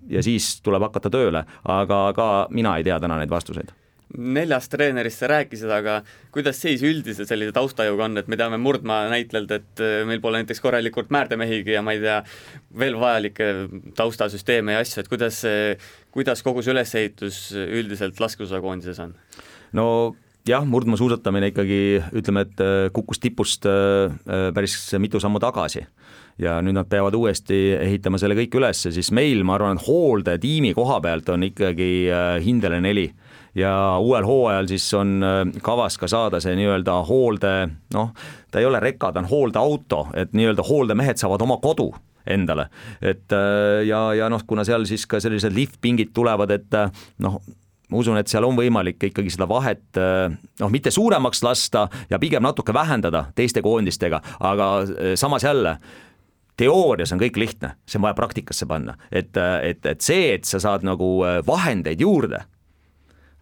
ja siis tuleb hakata tööle, aga ka mina ei tea täna neid vastuseid. Neljast treenerist sa rääkisid, aga kuidas seis üldiselt sellise taustajuga on, et me teame Murdmaa näitlelt, et meil pole näiteks korralikult määrdemehigi ja ma ei tea, veel vajalikke taustasüsteeme ja asju, et kuidas, kuidas kogu see ülesehitus üldiselt laskesuusakoondises on? No jah, Murdmaa suusatamine ikkagi, ütleme, et kukkus tipust päris mitu sammu tagasi ja nüüd nad peavad uuesti ehitama selle kõik üles, siis meil, ma arvan, et hoolde tiimi koha pealt on ikkagi hindele neli ja uuel hooajal siis on kavas ka saada see nii-öelda hoolde, noh, ta ei ole reka, ta on hooldeauto, et nii-öelda hooldemehed saavad oma kodu endale, et ja, ja noh, kuna seal siis ka sellised liftpingid tulevad, et noh, ma usun, et seal on võimalik ikkagi seda vahet, noh, mitte suuremaks lasta ja pigem natuke vähendada teiste koondistega, aga samas jälle, teoorias on kõik lihtne, see on vaja praktikasse panna, et, et, et see, et sa saad nagu vahendeid juurde,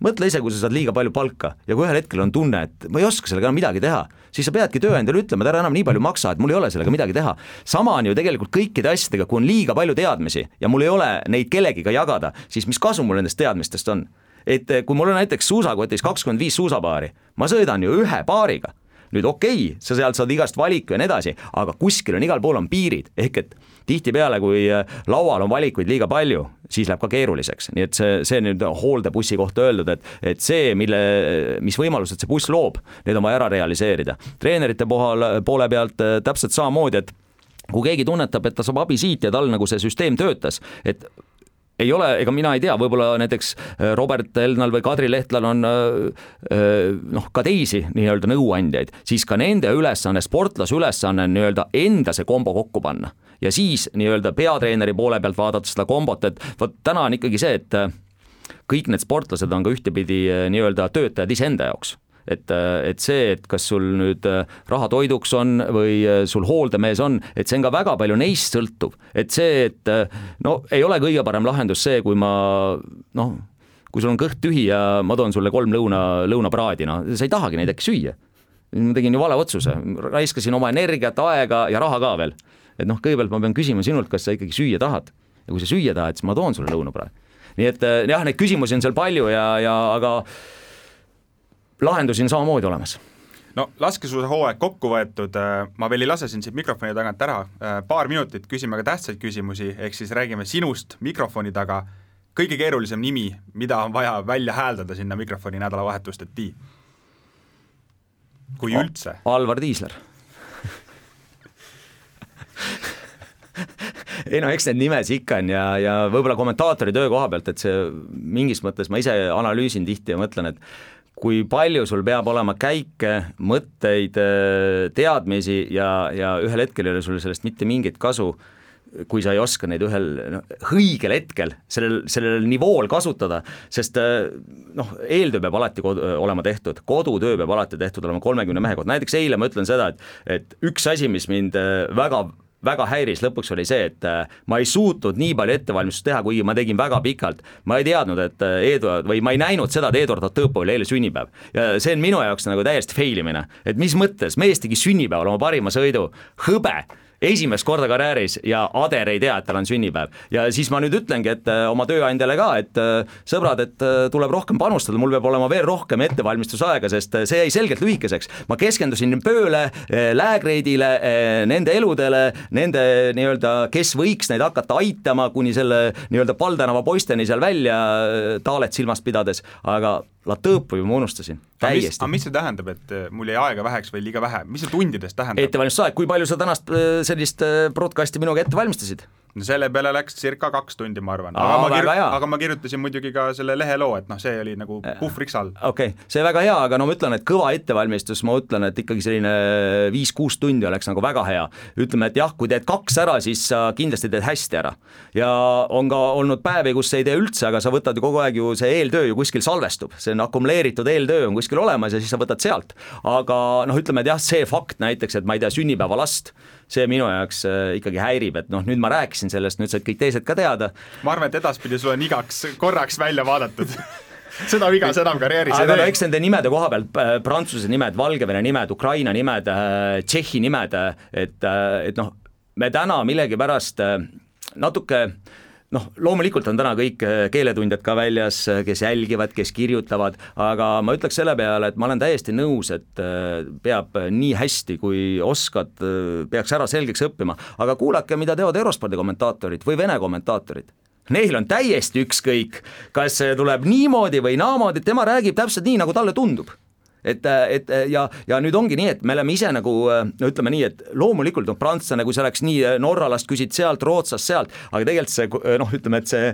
mõtle ise, kui sa saad liiga palju palka ja kui ühel hetkel on tunne, et ma ei oska sellega enam midagi teha, siis sa peadki tööandjale ütlema, et ära enam nii palju maksa, et mul ei ole sellega midagi teha. Sama on ju tegelikult kõikide asjadega, kui on liiga palju teadmisi ja mul ei ole neid kellegiga jagada, siis mis kasu mul nendest teadmistest on? Et kui mul on näiteks suusakotis kakskümmend viis suusapaari, ma sõidan ju ühe paariga. Nüüd okei, okay, sa sealt saad igast valiku ja nii edasi, aga kuskil on igal pool on piirid, ehk et tihtipeale, kui laual on valikuid liiga palju, siis läheb ka keeruliseks. Nii et see, see nüüd hooldebussi kohta öeldud, et, et see, mille, mis võimalused see buss loob, need on vaja ära realiseerida. Treenerite poole, poole pealt täpselt samamoodi, et kui keegi tunnetab, et ta saab abi siit ja tal nagu see süsteem töötas, et ei ole, ega mina ei tea, võib-olla näiteks Robert Elnal või Kadri Lehtlal on noh, ka teisi nii-öelda nõuandjaid, siis ka nende ülesanne, sportlase ülesanne nii-öelda enda see kombo kokku panna. Ja siis nii-öelda peatreeneri poole pealt vaadata seda kombot, et võt, täna on ikkagi see, et kõik need sportlased on ka ühtepidi nii-öelda töötajad iseenda jaoks. Et, et see, et kas sul nüüd raha toiduks on või sul hooldemees on, et see on ka väga palju neist sõltuv. Et see, et no ei ole kõige parem lahendus see, kui ma noh, kui sul on kõht tühi ja ma toon sulle kolm lõuna, lõunapraadi, no sa ei tahagi neid äkki süüa. Ma tegin ju vale otsuse, raiskasin oma energiat, aega ja raha ka veel. Et noh, kõigepealt ma pean küsima sinult, kas sa ikkagi süüa tahad. Ja kui sa süüa tahad, siis ma toon sulle lõunapraadi. Nii et jah, neid küsimusi on seal palju ja, ja aga lahendusi on samamoodi olemas. No laskesuusa hooaeg kokku võetud, ma veel ei lase siin siit mikrofoni tagant ära, paar minutit küsime ka tähtsaid küsimusi, ehk siis räägime sinust mikrofoni taga, kõige keerulisem nimi, mida on vaja välja hääldada sinna mikrofoni nädalavahetust, et tii? Kui üldse? Alvar Tiisler. Ei no, eks need nimes ikka on ja, ja võib-olla kommentaatori töö koha pealt, et see mingis mõttes ma ise analüüsin tihti ja mõtlen, et kui palju sul peab olema käike, mõtteid, teadmisi ja, ja ühel hetkel ei ole sul sellest mitte mingit kasu, kui sa ei oska neid ühel no, õigel hetkel sellel, sellel nivool kasutada, sest noh, eeltöö peab alati kodu, olema tehtud, kodutöö peab alati tehtud olema kolmekümne mehe kohta. Näiteks eile ma ütlen seda, et, et üks asi, mis mind väga väga häiris lõpuks oli see, et ma ei suutnud nii palju ettevalmistust teha, kuigi ma tegin väga pikalt. Ma ei teadnud, et Eduard, või ma ei näinud seda, et Eduard Otõpo oli eile sünnipäev. Ja see on minu jaoks nagu täiesti failimine. Et mis mõttes, mees tegi sünnipäeval oma parima sõidu, hõbe, esimest korda karjääris ja Ader ei tea, et tal on sünnipäev. Ja siis ma nüüd ütlengi, et oma tööandjale ka, et sõbrad, et tuleb rohkem panustada, mul peab olema veel rohkem ettevalmistusaega, sest see jäi selgelt lühikeseks. Ma keskendusin pööle, läägreidile, nende eludele, nende nii-öelda, kes võiks neid hakata aitama, kuni selle nii-öelda Paldänava poisteni seal välja taalet silmast pidades, aga Latõõpu ju ma unustasin, täiesti. Aga mis see tähendab, et mul jäi aega väheks või liiga vähe? Mis see tundidest tähendab? Ettevalmistusaeg, kui palju sa tänast sellist broadcasti minuga ette valmistasid? no selle peale läks circa kaks tundi, ma arvan. Aa, aga, ma väga hea. aga ma kirjutasin muidugi ka selle leheloo, et noh, see oli nagu puhvriks all. Okei, okay. See väga hea, aga no ma ütlen, et kõva ettevalmistus, ma ütlen, et ikkagi selline viis-kuus tundi oleks nagu väga hea. Ütleme, et jah, kui teed kaks ära, siis sa kindlasti teed hästi ära. Ja on ka olnud päevi, kus ei tee üldse, aga sa võtad ju kogu aeg ju see eeltöö ju kuskil salvestub. See on akumuleeritud eeltöö on kuskil olemas ja siis sa võtad sealt. Aga noh, ütleme, et jah, see fakt näiteks, et ma ei tea, sünnipäeva last, see minu jaoks ikkagi häirib, et noh, nüüd ma rääkisin sellest, nüüd said kõik teised ka teada. Ma arvan, et edaspidi sul on igaks korraks välja vaadatud. Seda vigas enam karjääris. Aga no eks nende nimede koha peal, Prantsuse nimed, Valgevene nimed, Ukraina nimed, Tšehhi nimed, et, et noh, me täna millegi pärast natuke noh, loomulikult on täna kõik keeletundjad ka väljas, kes jälgivad, kes kirjutavad, aga ma ütleks selle peale, et ma olen täiesti nõus, et peab nii hästi, kui oskad, peaks ära selgeks õppima, aga kuulake, mida teevad Eurospordi kommentaatorid või Vene kommentaatorid. Neil on täiesti ükskõik, kas see tuleb niimoodi või naamoodi, tema räägib täpselt nii, nagu talle tundub. Et, et ja, ja nüüd ongi nii, et me oleme ise nagu, no ütleme nii, et loomulikult on prantslane, kui see oleks nii Norralast küsid sealt, Rootsast sealt, aga tegelikult see, noh, ütleme, et see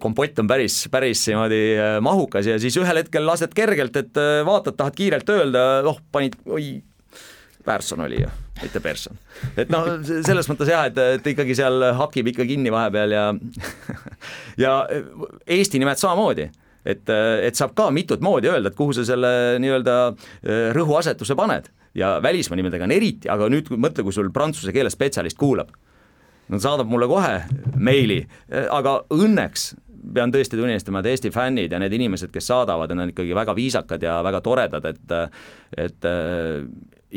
kompott on päris, päris niimoodi mahukas ja siis ühel hetkel lased kergelt, et vaatad, tahad kiirelt öelda, oh, panid, oi, Persson oli ju, mitte Persson. Et noh, selles mõttes jah, et, et ikkagi seal hakib ikka kinni vahepeal ja ja Eesti nimed samamoodi. Et, et saab ka mitut moodi öelda, et kuhu sa selle nii-öelda rõhuasetuse paned ja välismaa nimedega on eriti, aga nüüd mõtle, kui sul prantsuse keele spetsialist kuulab, no saadab mulle kohe meili, aga õnneks pean tõesti tunnistama, et Eesti fännid ja need inimesed, kes saadavad, on ikkagi väga viisakad ja väga toredad, et, et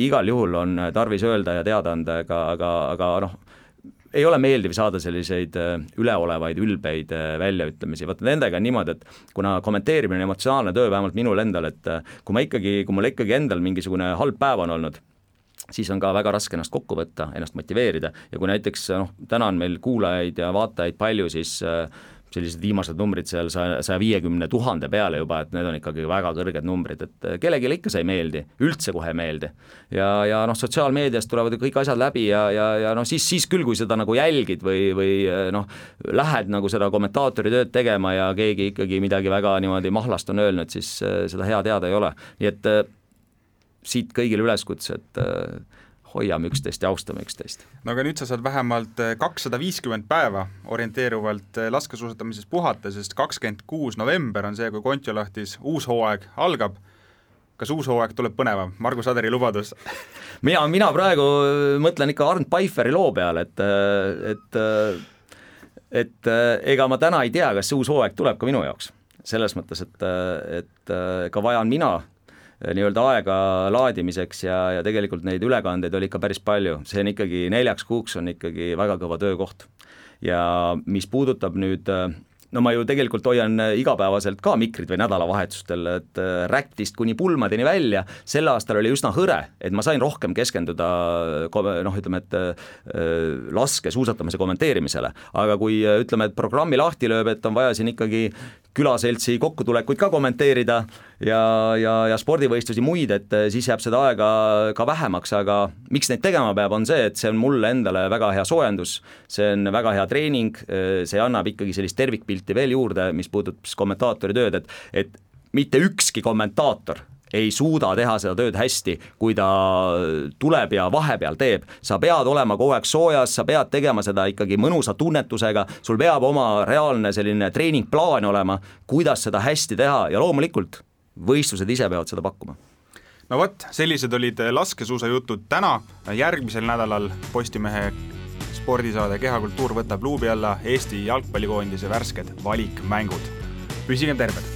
igal juhul on tarvis öelda ja teada anda, aga, aga, aga noh, ei ole meeldiv saada selliseid üleolevaid, ülbeid väljaütlemisi. Vaata nendega on niimoodi, et kuna kommenteerimine on emotsionaalne töö, vähemalt minul endal, et kui ma ikkagi, kui mul ikkagi endal mingisugune halb päev on olnud, siis on ka väga raske ennast kokku võtta, ennast motiveerida ja kui näiteks noh, täna on meil kuulajaid ja vaatajaid palju, siis sellised viimased numbrid seal saja viiekümne tuhande peale juba, et need on ikkagi väga kõrged numbrid, et kellelegi ikka see ei meeldi, üldse kohe ei meeldi. Ja, ja noh, sotsiaalmeediast tulevad kõik asjad läbi ja, ja, ja noh, siis, siis küll, kui seda nagu jälgid või, või noh, lähed nagu seda kommentaatori tööd tegema ja keegi ikkagi midagi väga niimoodi mahlast on öelnud, siis seda hea teada ei ole. Nii et siit kõigile üleskutse, et hoiame üksteist ja austame üksteist. No aga nüüd sa saad vähemalt kakssada viiskümmend päeva orienteeruvalt laskesuusatamises puhata, sest kakskümmend kuus november on see, kui Kontiolahtis uus hooaeg algab. Kas uus hooaeg tuleb põnevam? Margus Aderi lubadus. Mina, mina praegu mõtlen ikka Arnd Paiferi loo peale, et, et, et ega ma täna ei tea, kas uus hooaeg tuleb ka minu jaoks. Selles mõttes, et, et ka vajan mina nii-öelda aega laadimiseks ja, ja tegelikult neid ülekandeid oli ikka päris palju. See on ikkagi neljaks kuuks on ikkagi väga kõva töökoht. Ja mis puudutab nüüd, no ma ju tegelikult hoian igapäevaselt ka mikrid või nädalavahetustel, et räktist kuni pulmadeni välja, selle aastal oli üsna hõre, et ma sain rohkem keskenduda noh, ütleme, et laske suusatamise kommenteerimisele, aga kui ütleme, et programmi lahti lööb, et on vaja siin ikkagi külaseltsi kokkutulekuid ka kommenteerida ja, ja, ja spordivõistlusi muid, et siis jääb seda aega ka vähemaks, aga miks neid tegema peab, on see, et see on mulle endale väga hea soojendus, see on väga hea treening, see annab ikkagi sellist tervikpilti veel juurde, mis puudutab kommentaatori tööd, et, et mitte ükski kommentaator ei suuda teha seda tööd hästi, kui ta tuleb ja vahepeal teeb. Sa pead olema kogu aeg soojas, sa pead tegema seda ikkagi mõnusa tunnetusega, sul peab oma reaalne selline treeningplaan olema, kuidas seda hästi teha ja loomulikult võistlused ise peavad seda pakkuma. No võt, sellised olid laskesuusajutud täna, järgmisel nädalal Postimehe spordisaade Kehakultuur võtab luubi alla Eesti jalgpallikoondise värsked valikmängud. Püsigem terved!